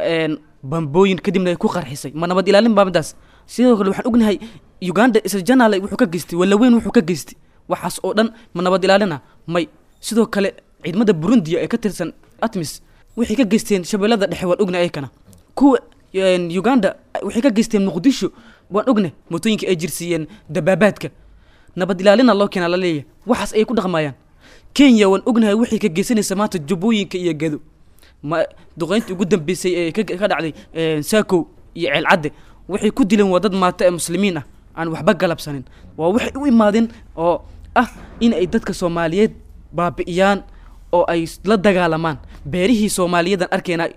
bambooyin kadibna ay ku qarxisay, ma nabad ilaalin baa midaas? Sidoo kale waxaan ognahay Uganda isla janaale wuxuu ka geystay, Walaweyn wuxuu ka geystay, waxaas oo dhan ma nabad ilaalina? May. Sidoo kale ciidamada Burundiya ee ka tirsan ATMIS waxay ka geysteen Shabeellada Dhexe, waan ognahay. Ayakana kuwa Uganda waxay ka geysteen Muqdisho, waan ognahay, mootooyinka ay jirsiiyeen, dabaabaadka. Nabad ilaalina loo keenaa laleeyahay, waxaas ayay ku dhaqmayaan. Kenya waan ognahay waxay ka geysanaysa maanta Jubbooyinka iyo Gado, ma duqeyntii ugu dambeysay ee ka dhacday Saakow iyo Ceelcadde waxay ku dileen waa dad maata ee muslimiin ah aan waxba galabsanin. Waa waxay u imaadeen oo ah in ay dadka Soomaaliyeed baabi'iyaan oo ay la dagaalamaan. Beerihii Soomaaliyeedan arkeenaa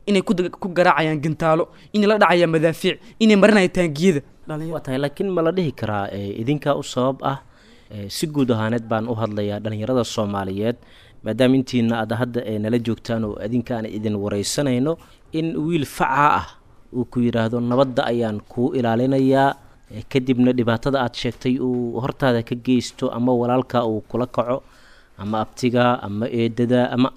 inay ku ku garaacayaan gantaalo, inay la dhacayaan madaafiic, inay marinayaan taangiyada. Waa tahay, laakiin ma la dhihi karaa idinkaa u sabab ah? Si guud ahaaneed baan u hadlayaa dhalinyarada Soomaaliyeed, maadaama intiina aad hadda nala joogtaan oo idinka aan idin wareysanayno, in wiil facaa ah uu ku yidhaahdo nabadda ayaan kuu ilaalinayaa, kadibna dhibaatada aad sheegtay uu hortaada ka geysto, ama walaalka uu kula kaco, ama abtiga ama eedada ama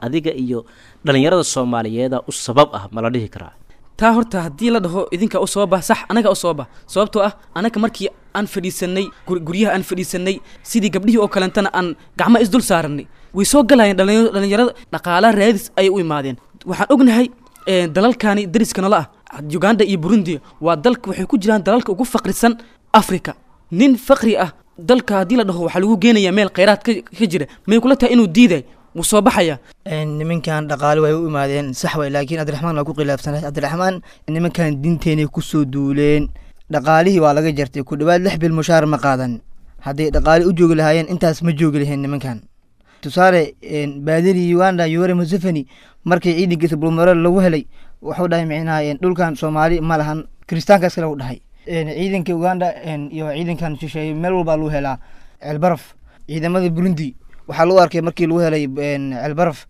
adiga iyo dhalinyarada Soomaaliyeeda u sabab ah, ma la dhihi karaa? Taa horta haddii la dhaho idinkaa u sababa, sax, anagaa u sababa, sababtoo ah anaga markii aan fadhiisanay guryaha, aan fadhiisanay sidii gabdhihii oo kalentana aan gacmaha isdul saaranay, way soo galayeen dhalinyarada, dhaqaala raadis ayay u imaadeen. Waxaan ognahay dalalkani dariska nala ah, Uganda iyo Burundi, waa dalka waxay ku jiraan dalalka ugu faqrisan Africa. Nin faqri ah dalka haddii la dhaho waxaa lagu geenayaa meel kheyraad ka jira, may kula tahay inuu diiday? Wuu soo baxaya. Nimankan dhaqaale way u imaadeen, sax way, laakiin Cabdiraxmaan waa ku khilaafsanay. Cabdiraxmaan, nimankan diinteenay kusoo duuleen, dhaqaalihii waa laga jartay, ku dhawaad lix bil mushaar ma qaadan. Hadday dhaqaale u joogi lahaayeen intaas ma joogi laheen nimankan. Tusaale, baadidii Uganda Yoweri Museveni markii ciidankiisa Bulmaro lagu helay, wuxuu dhahay micnaha dhulkan Soomaali ma lahan, kiristaanka iskale u dhahay. Ciidanka Uganda iyo ciidankan shisheeye meel walbaa lagu helaa Ceelbaraf. Ciidamada Burundi waxaa lagu arkay markii lagu helay Ceelbaraf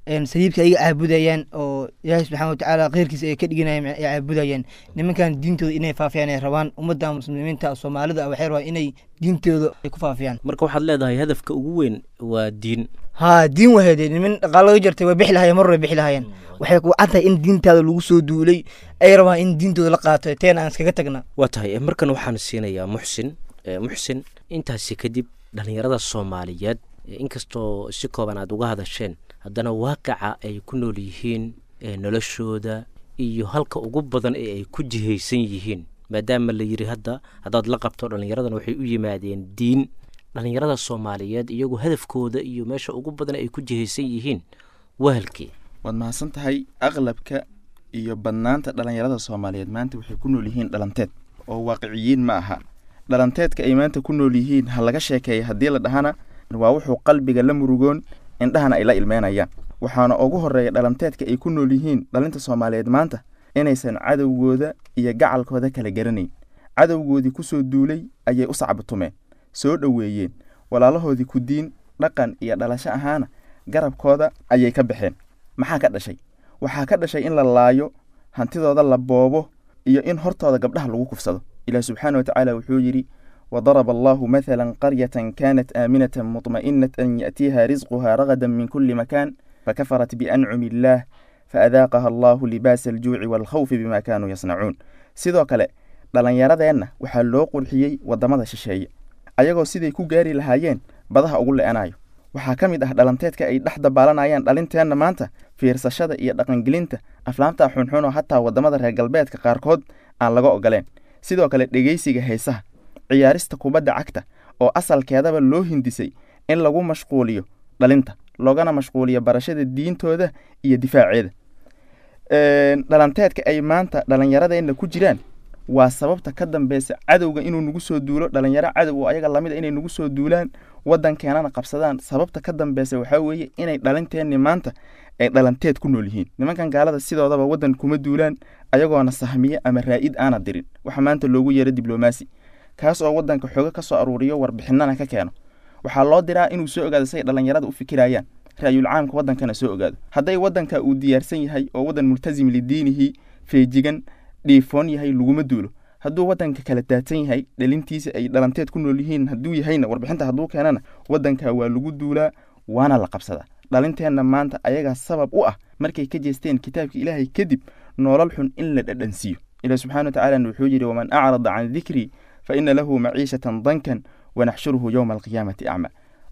saliibka ayaga caabudayaan oo Ilaahay subxaana watacaala kheyrkiisa ay ka dhiganayeen ay caabudayaan. Nimankan diintooda inay faafiyaan ay rabaan, ummadda muslimiinta Soomaalida waxay rabaan inay diintooda ay ku faafiyaan. Marka waxaad leedahay hadafka ugu weyn waa diin? Haa, diin waheede. Niman dhaqaalo laga jartay way bixi lahayeen, mar way bixi lahayeen. Waxay ku cad tahay in diintaada lagu soo duulay, ay rabaan in diintooda la qaato, teena aan iskaga tagna. Waa tahay, markan waxaan siinayaa Muxsin. Muxsin, intaasi kadib dhalinyarada Soomaaliyeed, inkastoo si kooban aada uga hadasheen, haddana waaqica ay ku nool yihiin, noloshooda iyo halka ugu badan ee ay ku jihaysan yihiin, maadaama la yidhi hadda haddaad la qabto dhalinyaradan waxay u yimaadeen diin, dhalinyarada Soomaaliyeed iyagu hadafkooda iyo meesha ugu badan ay ku jihaysan yihiin waa halkee? Waad mahadsan tahay. Aqlabka iyo badnaanta dhalinyarada Soomaaliyeed maanta waxay ku nool yihiin dhalanteed oo waaqiciyiin ma aha. Dhalanteedka ay maanta ku nool yihiin ha laga sheekeeya haddii la dhahana, waa wuxuu qalbiga la murugoon, indhahana ay la ilmeynayaan. Waxaana ugu horeeya dhalanteedka ay ku nool yihiin dhalinta Soomaaliyeed maanta inaysan cadowgooda iyo gacalkooda kala garanayn. Cadowgoodii kusoo duulay ayay u sacbatumeen, soo dhoweeyeen, walaalahoodii ku diin, dhaqan iyo dhalasho ahaana garabkooda ayay ka baxeen. Maxaa ka dhashay? Waxaa ka dhashay in la laayo, hantidooda la boobo, iyo in hortooda gabdhaha lagu kufsado. Ilaah subxaana watacaala wuxuu yidhi: وضرب الله مثلا قرية كانت آمنة مطمئنة يأتيها رزقها رغدا من كل مكان فكفرت بأنعم الله فأذاقها الله لباس الجوع والخوف بما كانوا يصنعون. Sidoo kale dhalinyaradeenna waxaa loo qurxiyey wadamada shisheeye, ayagoo siday ku gaari lahaayeen badaha ugu le-anayo. Waxaa ka mid ah dhalanteedka ay dhex dabaalanayaan dhalinteenna maanta fiirsashada iyo dhaqangelinta aflaamta xunxun oo hataa wadamada reer galbeedka qaarkood aan laga ogoleen. Sidoo kale dhegeysiga heesaha, ciyaarista kubadda cagta oo asalkeedaba loo hindisay in lagu mashquuliyo dhalinta, loogana mashquuliyo barashada diintooda iyo difaaceeda. Dhalanteedka ay maanta dhalinyaradeenna ku jiraan waa sababta ka dambeysa cadowga inuu nagu soo duulo, dhalinyaro cadow oo ayaga lamid a inay nagu soo duulaan, waddankeenana qabsadaan. Sababta ka dambeysa waxaa weeye inay dhalinteenni maanta ay dhalanteed ku nool yihiin. Nimankan gaalada sidoodaba waddan kuma duulaan ayagoona sahmiye ama raa'id aana dirin, waxa maanta loogu yeero diblomaasi, kaas oo waddanka xooga ka soo aruuriyo, warbixinana ka keeno. Waxaa loo diraa inuu soo ogaado say dhalinyarada u fikirayaan, ra'yul caamka waddankana soo ogaado. Hadday waddanka uu diyaarsan yahay oo waddan multasim lidiinihi, feejigan, dhiifoon yahay, laguma duulo. Hadduu waddanka kala daadsan yahay, dhalintiisa ay dhalanteed ku nool yihiin hadduu yahayna, warbixinta hadduu keenana, waddanka waa lagu duulaa waana la qabsadaa. Dhalinteenna maanta ayagaa sabab u ah markay ka jeesteen kitaabka Ilaahay kadib nolol xun in la dhadhansiiyo. Ilaah subxaana watacaala wuxuu yidhi: waman acrada can dikrii fa ina lahu maciishatan dankan wanaxshuruhu yowma alqiyaamati acma.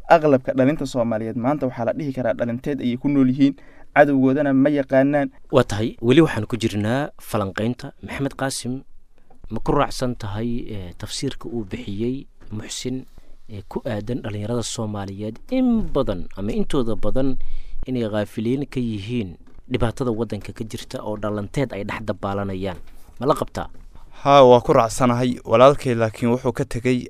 Aqlabka dhalinta Soomaaliyeed maanta waxaa la dhihi karaa dhalinteed ayay ku nool yihiin, cadowgoodana ma yaqaanaan. Waa tahay, weli waxaan ku jirnaa falanqeynta. Maxamed Qaasim, ma ku raacsan tahay tafsiirka uu bixiyey Muxsin ee ku aadan dhalinyarada Soomaaliyeed in badan ama intooda badan inay khaafiliin ka yihiin dhibaatada waddanka ka jirta oo dhalanteed ay dhex dabaalanayaan? Ma la qabtaa? Haa, waa ku raacsanahay walaalkay, laakiin wuxuu ka tegey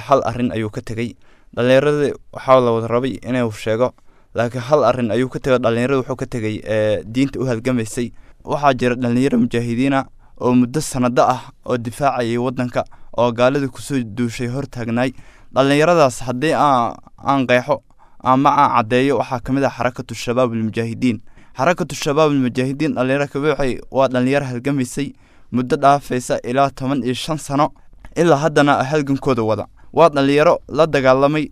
hal arrin ayuu ka tegey. Dhalinyaradii waxaa la wada rabay inuu sheego, laakiin hal arrin ayuu ka tegay. Dhalinyarada wuxuu ka tegey diinta u halgamaysay. Waxaa jira dhalinyaro mujaahidiina oo muddo sanado ah oo difaacayay waddanka oo gaalada kusoo duushay hortaagnaay. Dhallinyaradaas haddii aan aan qeexo ama aan caddeeyo, waxaa ka mid ah Xarakatu Shabaab Almujaahidiin. Xarakatu Shabaab Almujaahidiin dhalinyaro kabuuxay, waa dhalinyaro halgamaysay muddo dhaafaysa ilaa toban iyo shan sano, ilaa haddana halgankooda wada. Waa dhalinyaro la dagaalamay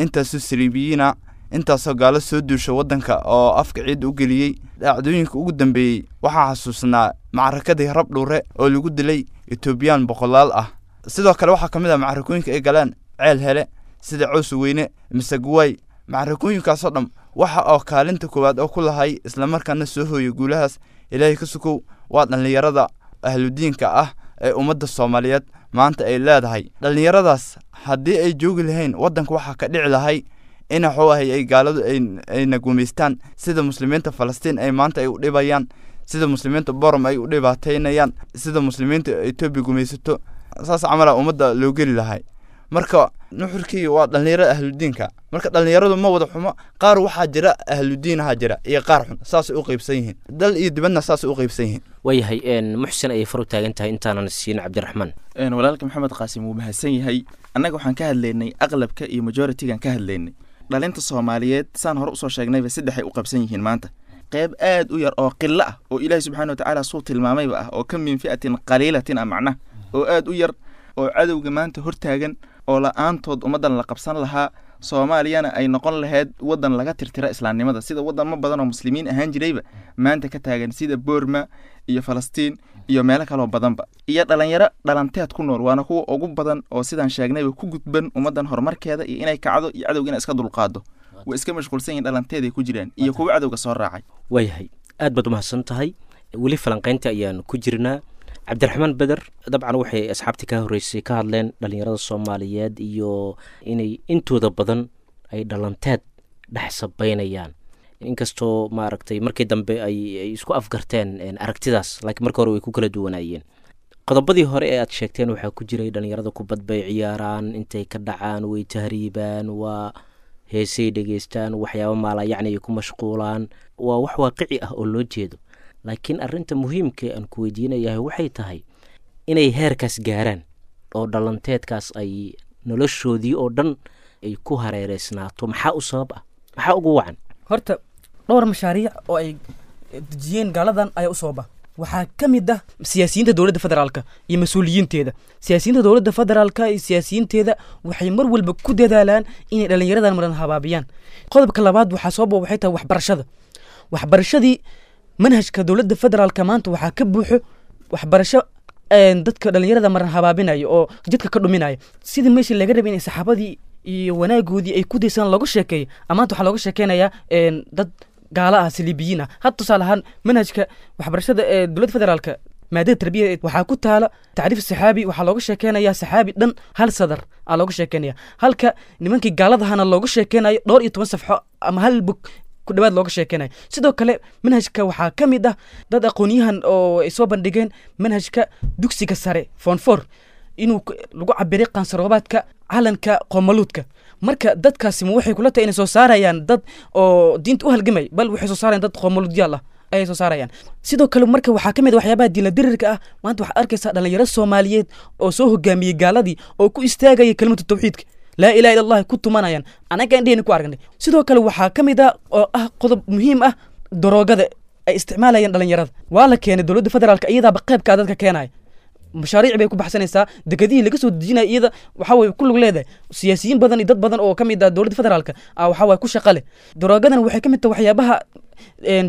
intaasoo saliibiyiina, intaasoo gaalo soo duusha waddanka oo afka ciidda u geliyey. Dhacdooyinka ugu dambeeyey waxaa xasuusnaa macrakadii Rabdhuure oo lagu dilay Etoobiyaan boqolaal ah. Sidoo kale waxaa ka mid ah macrakooyinka ay galeen Ceel Hele, sida Cows Weyne, Masaguwaay. Macrakooyinkaasoo dham waxa oo kaalinta koowaad oo ku lahay islamarkaana soo hooyay guulahaas, Ilaahay ka sukow, waa dhallinyarada ahludiinka ah ee ummadda Soomaaliyeed maanta ay leedahay. Dhallinyaradaas haddii ay joogi lahayn waddanka, waxaa ka dhici lahay in waxuu ahay ay gaaladu ayna gumaystaan, sida muslimiinta Falastiin ay maanta ay u dhibayaan, sida muslimiinta Borom ay u dhibaataynayaan, sida muslimiinta Etoobiya gumaysato, saas camala ummadda loo geli lahay. Marka nuxurkii waa dhallinyarada ahludiinka. Marka dhallinyaradu ma wada xumo, qaar waxaa jira ahludiinaha jira iyo qaar xun, saasay u qaybsan yihiin, dal iyo dibadna saasay u qaybsan yihiin. Waayahay, Muxsin ayay far u taagan tahay intaanan siin Cabdiraxmaan. Walaalka Maxamed Qaasim wuu mahadsan yahay. Annaga waxaan ka hadlaynay aqlabka iyo majoritigan ka hadlaynay. Dhalinta Soomaaliyeed saan hore usoo sheegnayba saddexay u qabsan yihiin maanta. Qayb aad u yar oo qilo ah oo Ilaahi subxaana watacaala suu tilmaamayba ah oo ka min fi'atin qaliilatin ah, macnaha oo aad u yar oo cadowga maanta hortaagan, oo la-aantood ummaddan la qabsan lahaa, Soomaaliyana ay noqon lahayd waddan laga tirtira islaamnimada, sida wadamo badan oo muslimiin ahaan jirayba maanta ka taagan, sida Boorma iyo Falastiin iyo meelo kaloo badanba. Iyo dhalinyaro dhalanteed ku nool, waana kuwa ugu badan oo sidaan sheegnayba ku gudban ummaddan horumarkeeda iyo inay kacdo iyo cadowga inay iska dulqaado. Way iska mashquulsan yihiin, dhalanteeday ku jiraan, iyo kuwa cadowga soo raacay. Waayahay, aad baad umahadsan tahay. Weli falanqaynta ayaan ku jirnaa. Cabdiraxmaan Beder, dabcan waxay asxaabtii ka horreysay ka hadleen dhalinyarada Soomaaliyeed iyo inay intooda badan ay dhalanteed dhex sabeynayaan, inkastoo maaragtay markii dambe ay ay isku afgarteen aragtidaas, laakiin marka hore way ku kala duwanaayeen. Qodobadii hore ee aad sheegteen waxaa ku jiray dhalinyarada kubad bay ciyaaraan, intay ka dhacaan way tahriibaan, waa heesay dhegeystaan, waxyaabo maalayacni ay ku mashquulaan, waa wax waaqici ah oo loo jeedo. Laakiin arrinta muhiimka aan ku weydiinayahay waxay tahay inay heerkaas gaaraan oo dhalanteedkaas ay noloshoodii oo dhan ay ku hareereysnaato, maxaa u sabab ah, maxaa ugu wacan? Horta dhowr mashaariic oo ay dejiyeen gaaladan ayaa u sababa. Waxaa ka mid ah siyaasiyiinta dowladda federaalka iyo mas-uuliyiinteeda. Siyaasiyiinta dowladda federaalka iyo siyaasiyiinteeda waxay mar walba ku dadaalaan inay dhallinyaradan maran habaabiyaan. Qodobka labaad waxaa sababa waxay tahay waxbarashada. Waxbarashadii manhajka dowladda federaalka maanta waxaa ka buuxo waxbarasho dadka dhallinyarada maran habaabinaya oo jidka ka dhuminaya. Sidii meeshii laga rabay inay saxaabadii iyo wanaagoodii ay ku daysaan looga sheekeeyo, amaanta waxaa looga sheekeynayaa dad gaala ah, saliibiyiin ah. Had tusaale ahaan manhajka waxbarashada ee dowladda federaalka maadada tarbiyada waxaa ku taala tacriif saxaabi, waxaa looga sheekeynayaa saxaabi dhan hal sadar aa looga sheekeynaya, halka nimankii gaaladahana looga sheekeynayo dhowr iyo toban safxo ama hal bog ku dhawaad looga sheekeynayo. Sidoo kale manhajka waxaa ka mid ah dad aqoon-yahan oo ay soo bandhigeen manhajka dugsiga sare form four inuu lagu cabiray qaansaroobaadka calanka qoomaluudka. Marka dadkaasi ma waxay kula tahay inay soo saarayaan dad oo diinta u halgamay? Bal waxay soo saarayaan dad qoomaluudyaal ah ayay soo saarayaan. Sidoo kale marka waxaa ka mid ah waxyaabaha diinla dirirka ah, maanta waxaad arkaysaa dhalinyaro Soomaaliyeed oo soo hogaamiyey gaaladii oo ku istaagaya kelimatu tawxiidka, laa ilaha illa Allah ku tumanayaan, anaga indhehena ku aragnay. Sidoo kale waxaa ka mid ah oo ah qodob muhiim ah daroogada ay isticmaalayaan dhalinyarada. Waa la keenay dowladda federaalka iyadaaba qaybkaa dadka keenaya, mashaariic bay ku baxsanaysaa, dekedihii laga soo dejinaya iyada waxa way ku lug leedahay. Siyaasiyiin badan iyo dad badan oo ka mid ah dowladda federaalka ah waxa way ku shaqo leh. Daroogadan waxay ka mid tahay waxyaabaha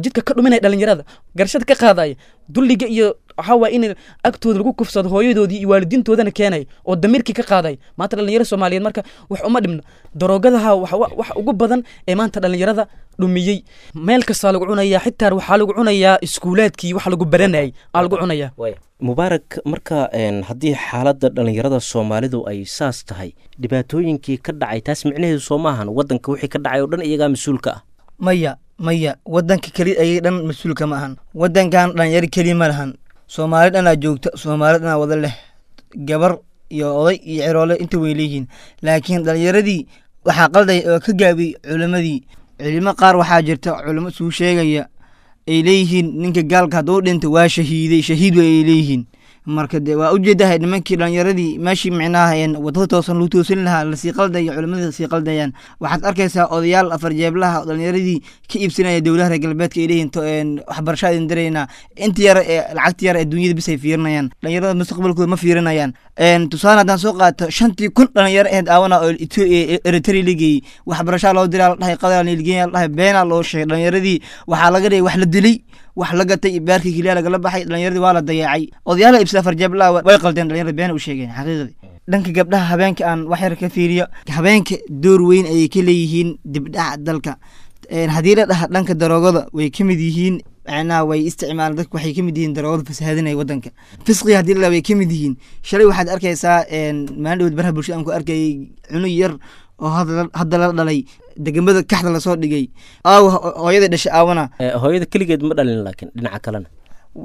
jidka ka dhuminaya dhalinyarada, garashada ka qaadaya, dulliga iyo waxaa waay in agtooda lagu kufsado hooyadoodii iyo waalidiintoodana keenay oo damiirkii ka qaaday. Maanta dhalinyaro Soomaaliyeed marka wax uma dhibno daroogadaha, wax wax ugu badan ee maanta dhalinyarada dhumiyey. Meel kastaa lagu cunayaa, xitaa waxaa lagu cunayaa iskuulaadkii wax lagu baranayay aa lagu cunayaa. Mubaarak, marka haddii xaaladda dhalinyarada Soomaalidu ay saas tahay, dhibaatooyinkii ka dhacay taas micnaheedu soo maahan waddanka wixii ka dhacay oo dhan iyagaa mas-uulka ah? Maya, maya, waddanka keli ayay dhan mas-uulka ma ahan. Waddankan dhalinyaro keli ma lahan, Soomaali dhanaa joogta, Soomaali dhanaa wada leh, gabar iyo oday iyo ciroole inta way leeyihiin. Laakiin dhalinyaradii waxaa qaldaya oo ka gaabiyey culimmadii. Culimo qaar waxaa jirta culimo isuu sheegaya Ay leeyihiin ninka gaalka hadduu dhinto waa shahiiday, shahiid way ay leeyihiin. Marka dee waa ujeedahay nimankii dhalinyaradii meeshii micnaha een wadada toosan lagu toosin lahaa lasii qaldayo, culimmada sii qaldayaan. Waxaad arkaysaa odayaal afar jeeblaha oo dhalinyaradii ka iibsanaya dowlaha reer galbeedka, ay leeyihiin to- een waxbarasho idin diraynaa, inta yar ee lacagta yar ee dunyada bis ay fiirinayaan, dhalinyarada mustaqbalkooda ma fiirinayaan. Een tusaale haddaan soo qaato, shantii kun dhalinyaro ahayd aawana oo Ethio- Eritrea la geeyey, waxbarashaa loo diraa la dhahay, qadar la dhahay, beenaa loo sheegay. Dhalinyaradii waxaa laga dhigay wax la dilay, wax la gatay, iyo baarkii keliya lagala baxay. Dhalinyaradii waa la dayacay, odayaala ibsada farjeeblaha way qaldeen dhalinyarada, been u sheegeen xaqiiqdii. Dhanka gabdhaha habeenka aan wax yar ka fiiriyo, habeenka door weyn ayay ka leeyihiin dibdhaca dalka. Een haddii la dhaha dhanka daroogada way ka mid yihiin, macnaha way isticmaalaan dadka, waxay ka mid yihiin daroogada fasahaadinaya wadanka. Fisqiga haddii la dhaha way ka mid yihiin. Shalay waxaad arkaysaa een maalin dhaweyd baraha bulshada aan ku arkayay cunug yar oo hadda hadda la dhalay, degmada Kaxda lasoo dhigay, aawa hooyada dhashay aawana. Eh, hooyada keligeed ma dhalin, laakiin dhinaca kalena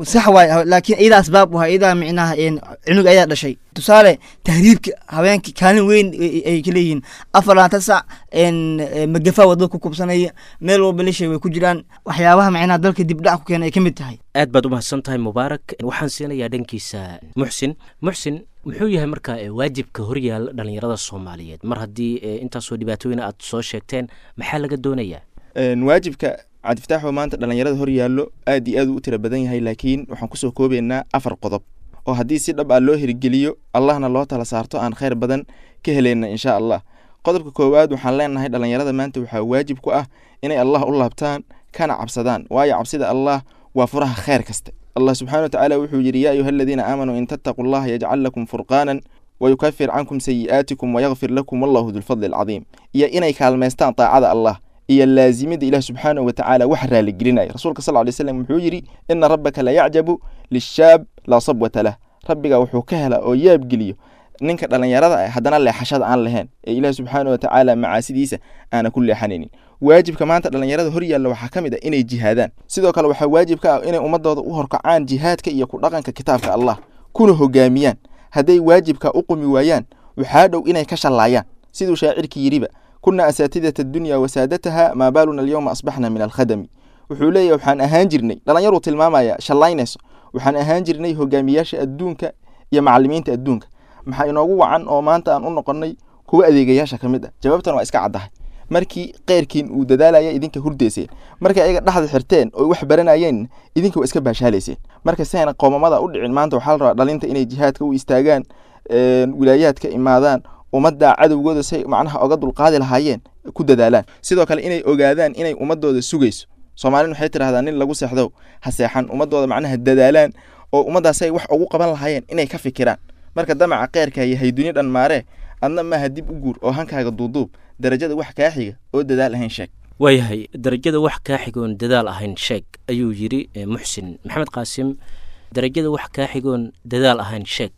sax waay, laakiin iyadaa asbaab u ahaa, iyadaa micnaha een cunug ayaa dhashay. Tusaale tahriibka habeenka kaalin weyn ay ay ka leeyihiin, afar labaatan sac een magafa wadada ku kubsanaya, meel walba lishay way ku jiraan, waxyaabaha micnaha dalka dibdhac ku keena ay ka mid tahay. Aad baad u mahadsan tahay Mubaarak. Waxaan siinayaa dhankiisa Muxsin. Muxsin, muxuu yahay marka eh, waajibka horyaala dhalinyarada Soomaaliyeed mar haddii eh, intaasoo dhibaatooyin aad soo sheegteen? Maxaa laga doonayaa? Een, waajibka Cabdifataaxoo maanta dhalinyarada hor yaallo aad iyo aad u tira badan yahay, laakiin waxaan kusoo koobaynaa afar qodob oo haddii si dhab ah loo hirgeliyo, Allahna loo tala saarto, aan khayr badan ka helayna insha Allah. Qodobka koowaad waxaan leenahay dhalinyarada maanta waxaa waajib ku ah inay Allah u laabtaan kana cabsadaan, waayo cabsida Allah waa furaha khayr kasta. Allah subxaana watacaala wuxuu yidhi: yaa ayuha aladiina aamanuu in tattaquu allaha yajcal lakum furqaanan wayukafir cankum sayi'aatikum wayakfir lakum wallahu dulfadli alcadiim. Iyo inay kaalmaystaan taacada Allah iyo laazimida Ilaah subxaanahu watacaala wax raaligelinaya. Rasuulka sal lay slam wuxuu yidhi: ina rabbaka la yacjabu lishaab laa sabwata lah. Rabbiga wuxuu ka helaa oo yaabgeliyo ninka dhalinyarada ah haddana leexashada aan lahayn ee Ilaah subxaanahu watacaala macaasidiisa aana ku leexanaynin. Waajibka maanta dhalinyarada hor yaalla waxaa ka mid ah inay jihaadaan. Sidoo kale waxaa waajib ka ah inay ummadooda u horkacaan jihaadka iyo ku dhaqanka kitaabka Allah kuna hogaamiyaan. Hadday waajibka u qumi waayaan, waxaa dhow inay ka shallaayaan, siduu shaacirkii yidhiba: kuna asaatidata addunya wasaadataha, maa baaluna alyawma asbaxna min alkhadami. Wuxuu leeyahay waxaan ahaan jirnay dhalinyaruu tilmaamaya shallaynayso, waxaan ahaan jirnay hogaamiyaasha adduunka iyo macallimiinta adduunka, maxaa inoogu wacan oo maanta aan u noqonnay kuwa adeegayaasha ka mid ah? Jawaabtan waa iska caddahay: markii qeyrkiin uu dadaalaya idinka hurdayseen, markay ayaga dhexda xirteen oo wax baranayeen idinka waa iska baashaalayseen. Marka si ayna qoomamada u dhicin, maanta waxaa la rabaa dhalinta inay jihaadka u istaagaan, een, wilaayaadka imaadaan, ummadda cadowgooda say macnaha oga dulqaadi lahaayeen ku dadaalaan. Sidoo kale inay ogaadaan inay ummadooda sugayso. Soomaalin waxay tidhahdaa nin lagu seexdo ha seexan. Ummadooda macnaha dadaalaan oo ummaddaas ay wax ugu qaban lahaayeen inay ka fikiraan. Marka damaca kheyrka yahay duni dhan maaree, adna maaha dib u guur oo hankaaga duuduub, darajada wax kaa xiga oo dadaal ahayn sheeg. Waayahay, darajada wax kaa xigoon dadaal ahayn sheeg ayuu yidhi eh, Muxsin. Maxamed Qaasim, darajada wax kaa xigoon dadaal ahayn sheeg,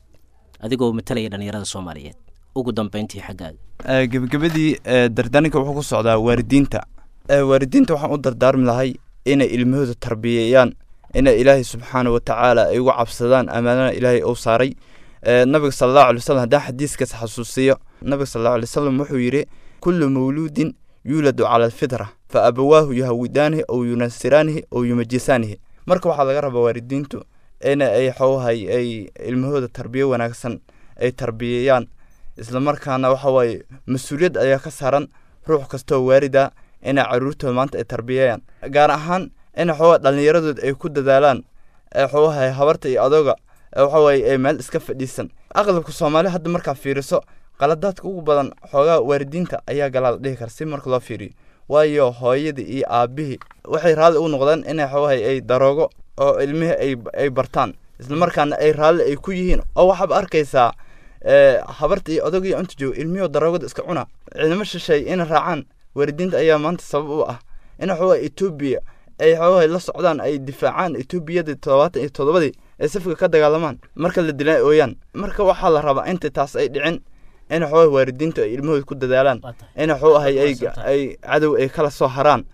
adigoo matalaya dhalinyarada Soomaaliyeed, ugu dambeyntii xaggaaga. Eh, gebagabadii eh, dardaaranka wuxuu ku socdaa waalidiinta. Eh, waalidiinta waxaan u dardaarmi lahay inay ilmahooda tarbiyeeyaan, inay Ilaahay subxaana wa tacaala ay uga cabsadaan amaanana Ilaahay uu saaray. Eh, nabiga sala allahu alay wasalam haddaan xadiiskaas xasuusiyo, nabiga sala allahu alay wasalam wuxuu yidhi: kullu mawluudin yuuladu cala alfitra fa abawaahu yuhawidaanihi ow yunasiraanihi ow yumajisaanihi. Marka waxaa laga rabaa waalidiintu in ay xoohay ay ilmahooda tarbiyo wanaagsan ay tarbiyeeyaan, isla markaana waxa waaye mas-uuliyad ayaa ka saaran ruux kastoo waalida inay caruurtooda maanta ay tarbiyeeyaan, gaar ahaan in xooga dhallinyaradooda ay ku dadaalaan ee xoogaha habarta iyo adooga ee waxa waaye ay meel iska fadhiisan. Aqalabka Soomaali hadda markaa fiiriso, qaladaadka ugu badan xoogaa waalidiinta ayaa galaa la dhihi kara si marka loo fiiriyo, waayo hooyadii iyo aabihii waxay raalli u noqdeen inay xoogahay ay daroogo oo ilmihii ay ay bartaan, isla markaana ay raalli ay ku yihiin. Oo waxaad arkaysaa ee habarta iyo odagii inta joogo ilmihii daroogada iska cuna. Ciidamo shisheeye inay raacaan waalidiinta ayaa maanta sabab u ah in xoogaa Etoobiya ay xoogaa la socdaan, ay difaacaan Etoobiyada toddobaatan iyo toddobadii ay safka ka dagaalamaan, marka la dilaa ooyaan. Marka waxaa la rabaa inta taas ay dhicin in xoogaa waalidiintu ay ilmahooda ku dadaalaan in xoogahay ay ay cadow ay kala soo haraan.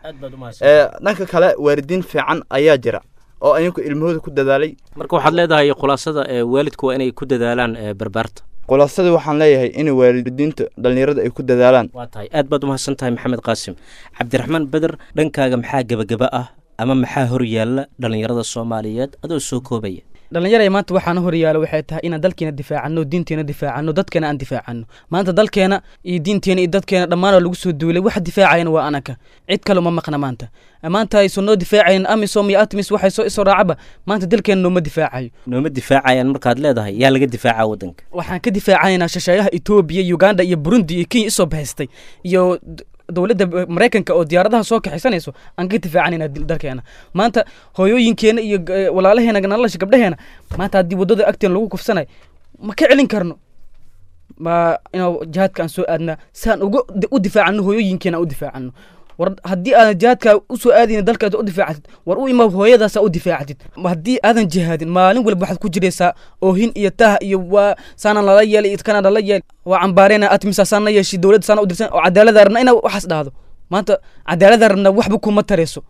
Ee dhanka kale waalidiin fiican ayaa jira oo ayagu ilmahooda ku dadaalay. Marka waxaad leedahay khulaasada ee waalidku waa inay ku dadaalaan ee barbaarta. Khulaasada waxaan leeyahay in waalidiinta dhallinyarada ay ku dadaalaan. Waa tahay, aad baad umahadsan tahay Maxamed Qaasim. Cabdiraxmaan Beder, dhankaaga maxaa gebagaba ah Ama maxaa hor yaalla dhallinyarada Soomaaliyeed, adoo soo koobaya? Dhallinyaraya maanta waxaana horyaalo waxay tahay inaan dalkeena difaacano, diinteena difaacano, dadkeena aan difaacano. Maanta dalkeena iyo diinteena iyo dadkeena dhammaan waa lagu soo duulay. Waxa difaacayana waa anaka, cid kale uma maqna. Maanta maanta aysan noo difaacayn AMISOM iyo ATMIS, waxay soo isoo raacaba maanta dalkeena nooma difaacayo. Nooma difaacayaan markaad leedahay, yaa laga difaacaa waddanka? Waxaan ka difaacaynaa shisheeyaha Etoobiya, Uganda iyo Burundi iyo Kenya isoo bahaystay iyo d- dowladda Maraykanka oo diyaaradaha soo kaxisanayso aan ka difaacanayna dalkeena. Maanta hooyooyinkeena iyo g- walaalaheena nolosha gabdhaheena maanta haddii waddada agteena lagu kufsanayo, ma ka celin karno? Ma inuu jihaadka aan soo aadnaa si aan uga u difaacano hooyooyinkeena, aan u difaacano? War haddii aadan jihaadka usoo aadaynin dalkaad u difaacatid, war u imaab hooyadaasaa u difaacatid. Haddii aadan jihaadin, maalin walba waxaad ku jiraysaa oohin iyo taah iyo waa saanaan lala yeelay iyo kanaan lala yeelay, waa cambaareyna ATMISA saana yeeshi, dowladda saana u dirsan oo cadaalada rabna inaa waxaas dhahdo. Maanta cadaalada rabna waxba kuma tarayso.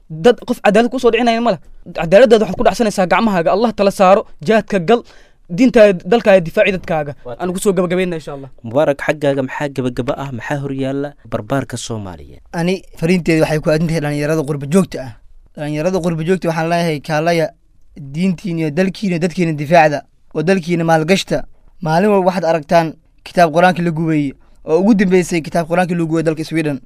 Dad qof cadaalad kusoo dhicinaya mala, cadaaladaada waxaad ku dhacsanaysaa gacmahaaga. Allah tala saaro, jihaadka gal, diintaada dalkaaga difaaci, dadkaaga. Aan kusoo gabagabayna insha Allah. Mubaarak, xaggaaga maxaa gebagaba ah? Maxaa horyaalla barbaarka Soomaaliyeed? Ani fariinteeda waxay ku aadan tahay dhalinyarada qurba joogta ah. Dhalinyarada qurba joogta waxaan leeyahay, kaalaya diintiina iyo dalkiina iyo dadkiina difaacda oo dalkiina maalgashta. Maalin walba waxaad aragtaan kitaab qur-aanka la gubeeyey, oo ugu dambeysay kitaab qur-aanka lagu gubay dalka Sweden.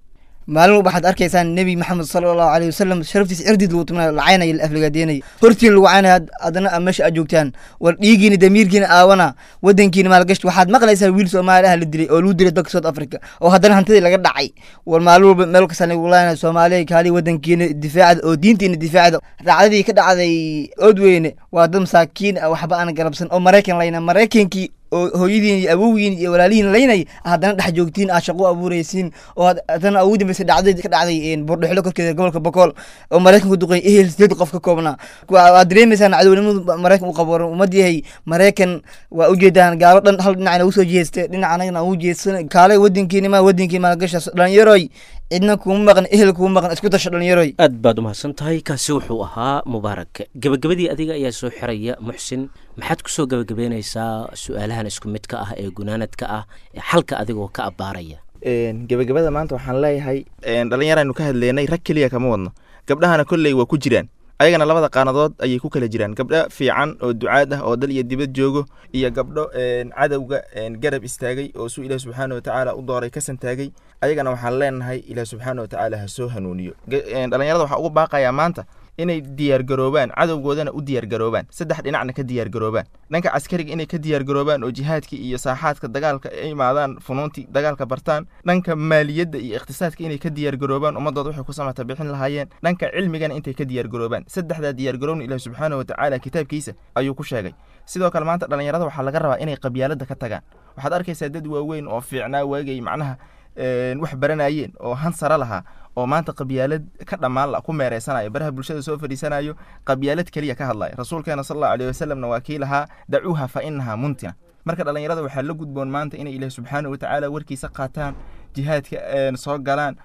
Maalin walba waxaad arkaysaan Nebi Maxamed sala Allahu alayhi wasalam sharaftiisa cirdiid lagu tumanaayo, la caynayo, la aflagaadeynaya, hortiin lagu caynaya, haddana aad meesha aad joogtaan. War dhiigiina damiirkiina aawana, wadankiina maalgashta. Waxaad maqlaysaa wiil Soomaali ah la dilay oo lagu dilay dalka South Africa oo haddana hantidii laga dhacay. War maalin walba meel kasta lagu laynaya Soomaaliya, kaali wadankiina difaacda oo diintiina difaacda. Dhacdadii ka dhacday Oodweyne waa dad masaakiin ah, waxba aan garabsan oo Maraykan layna, Maraykankii oo hooyadiin iyo awowgiin iyo walaalihiin laynay haddana dhex joogtiin, aad shaqo u abuuraysiin, oo haddana ugu dambeysay dhacdadii ka dhacday Buurdhexlo korkeeda gobolka Bokool oo Maraykanku duqeey ehel sideed qof ka koobnaa. Waad dareemaysaan cadownimadu Maraykan u qabo. Ummad yahay Maraykan waa ujeedaan, gaalo dhan hal dhinacna ugu soo jeestay, dhinac anagana ugu jeedsan. Kaalay wadankiina ma wadankii maalgasha dhalinyaroy, cidna kuma maqan, ehel kuma maqan, isku tasho dhalinyaroy. Aad baad umahadsan tahay. Kaasi wuxuu ahaa Mubaarak. Gebagabadii adiga ayaa soo xiraya. Muxsin, maxaad kusoo gebagabeynaysaa su-aalahan isku midka ah ee gunaanadka ah ee xalka adigoo ka abbaaraya? Gebagabada maanta waxaan leeyahay, dhalinyaraynu ka hadleynay, rag keliya kama wadno, gabdhahana kolley waa ku jiraan. Ayagana labada qaanadood ayay ku kala jiraan, gabdho fiican oo ducaad ah oo dal iyo dibad joogo iyo gabdho cadowga garab istaagay oo suu Ilaah subxaana watacaala u dooray ka santaagay. Ayagana waxaan leenahay Ilaah subxaana watacaala ha soo hanuuniyo. Dhalinyarada waxaa ugu baaqayaa maanta inay diyaargaroobaan, cadowgoodana u diyaargaroobaan, saddex dhinacna ka diyaargaroobaan: dhanka caskariga inay ka diyaargaroobaan oo jihaadka iyo saaxaadka dagaalka ay imaadaan, funuuntii dagaalka bartaan; dhanka maaliyadda iyo iqtisaadka inay ka diyaargaroobaan, ummadooda waxay ku samata bixin lahaayeen; dhanka cilmigana intay ka diyaargaroobaan. Saddexdaa diyaargaroobna Ilaah subxaana watacaala kitaabkiisa ayuu ku sheegay. Sidoo kale maanta dhalinyarada waxaa laga rabaa inay qabyaaladda ka tagaan. Waxaad arkaysaa dad waaweyn oo fiicnaa waagay macnaha wax baranayeen oo han sare lahaa oo maanta qabyaalad ka dhammaan la ku meereysanayo, baraha bulshada soo fadhiisanayo, qabyaalad keliya ka hadlaya. Rasuulkeena sal Allahu alayhi wasalamna waa kii lahaa dacuuha fa innahaa muntina. Marka dhalinyarada waxaa la gudboon maanta inay Ilaah subxaana watacaala warkiisa qaataan, jihaadka soo galaan.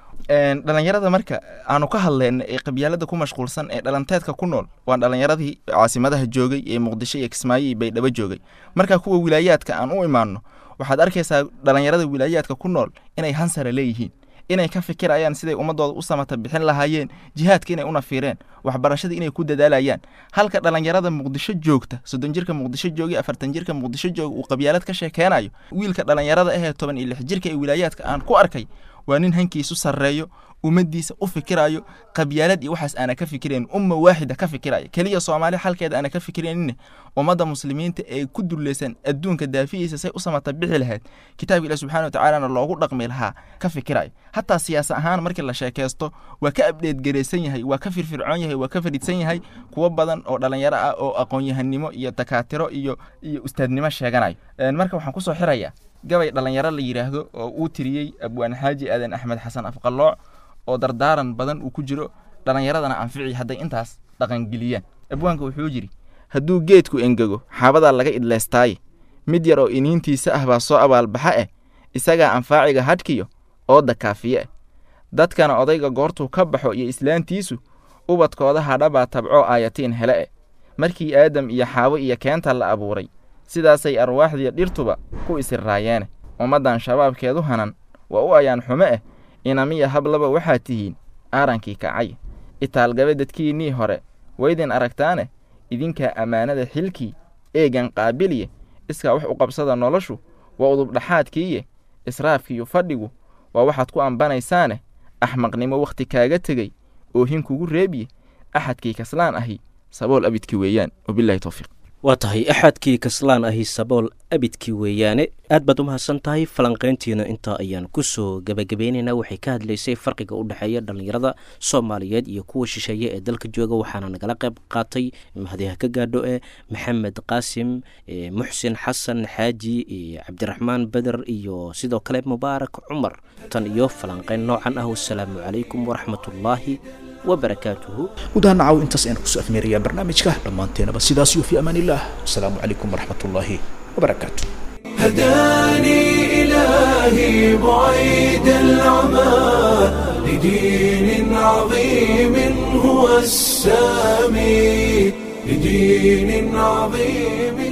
Dhalinyarada marka aanu ka hadleyna ee qabyaalada ku mashquulsan ee dhalanteedka ku nool waa dhalinyaradii caasimadaha joogay ee Muqdisho iyo Kismaayo iyo Baydhabo joogay. Marka kuwa wilaayaadka aan u imaanno, waxaad arkaysaa dhalinyarada wilaayaadka ku nool inay hansara leeyihiin, inay ka fikirayaan siday ummadooda u samata bixin lahaayeen, jihaadka inay u nafiireen, waxbarashada inay ku dadaalayaan, halka dhalinyarada Muqdisho joogta, soddon jirka Muqdisho joogay, afartan jirka Muqdisho jooga uu qabyaalad ka sheekeynayo. Wiilka dhalinyarada ahee toban iyo lix jirka ee wilaayaadka aan ku arkay waa nin hankiisu sarreeyo, ummaddiisa u fikirayo, qabyaalad iyo waxaas aana ka fikirayn, umma waaxida ka fikiraya keliya, Soomaali xalkeeda aana ka fikiraynin, ummadda muslimiinta ee ku dulleysan adduunka daafihiisa say u samata bixi lahayd, kitaabka Ilaah subxaana watacaalana loogu dhaqmi lahaa ka fikirayo. Hataa siyaasa ahaan markii la sheekaysto waa ka abdheed garaysan yahay, waa ka firfircoon yahay, waa ka fadhiidsan yahay kuwo badan oo dhalinyaro ah oo aqoon-yahanimo iyo dakaatiro iyo iyo ustaadnimo sheeganayo. Marka waxaan kusoo xirayaa gabay dhalinyaro la yidhaahdo oo uu tiriyey Abwaan Xaaji Aadan Axmed Xasan Afqalooc oo dardaaran badan uu ku jiro, dhalinyaradana anfici hadday intaas dhaqangeliyaan. Abwaanka wuxuu yidhi: hadduu geedku engego xaabadaa laga idleystaaye, mid yar oo iniintiisa ah baa soo abaalbaxa eh, isagaa anfaaciga hadhkiyo ooda kaafiye eh, dadkana odayga goortuu ka baxo iyo islaantiisu ubadkooda hadhabaa tabcoo aayatiin hele eh. Markii Aadam iyo Xaawo iyo keenta la abuuray sidaasay arwaaxdiiyo dhirtuba ku isirraayeene, ummaddan shabaabkeedu hanan waa u ayaan xumo eh, inamiya hablaba waxaad tihiin aarankii kacay, Itaalgabe dadkiinnii hore waydin aragtaane, idinkaa ammaanada xilkii eegan qaabiliye. Iskaa wax u qabsada noloshu waa udubdhaxaadkiiye, israafkiiyo fadhigu waa waxaad ku ambanaysaane. Axmaqnimo wakhti kaaga tegey oohin kugu reebiye, axadkii kaslaan ahi sabool abidkii weeyaan. Wabilahi towfiiq. Waa tahay, axadkii kaslaan ahi sabool abidkii weeyaane. Aad baad u mahadsan tahay. Falanqayntiina intaa ayaan kusoo gebagabeynaynaa. Waxay ka hadlaysay farqiga u dhexeeya dhallinyarada Soomaaliyeed iyo kuwa shisheeye ee dalka jooga, waxaana nagala qayb qaatay, mahadiha ka gaadho, ee Maxamed Qaasim, Muxsin Xasan Xaaji, Cabdiraxmaan Beder iyo sidoo kale Mubaarak Cumar. Tan iyo falanqayn noocan ah, wasalaamu calaykum waraxmatullaahi wabarakaatuhu. Guud ahaan nacaw intaas ayaan kusoo afmeerayaa barnaamijka. Dhammaanteenaba sidaas iyo fi amaan illah. Asalaamu calaykum waraxmat ullaahi wabarakaatu. هداني إلهي بعيد العمى لدين عظيم هو السامي، لدين عظيم.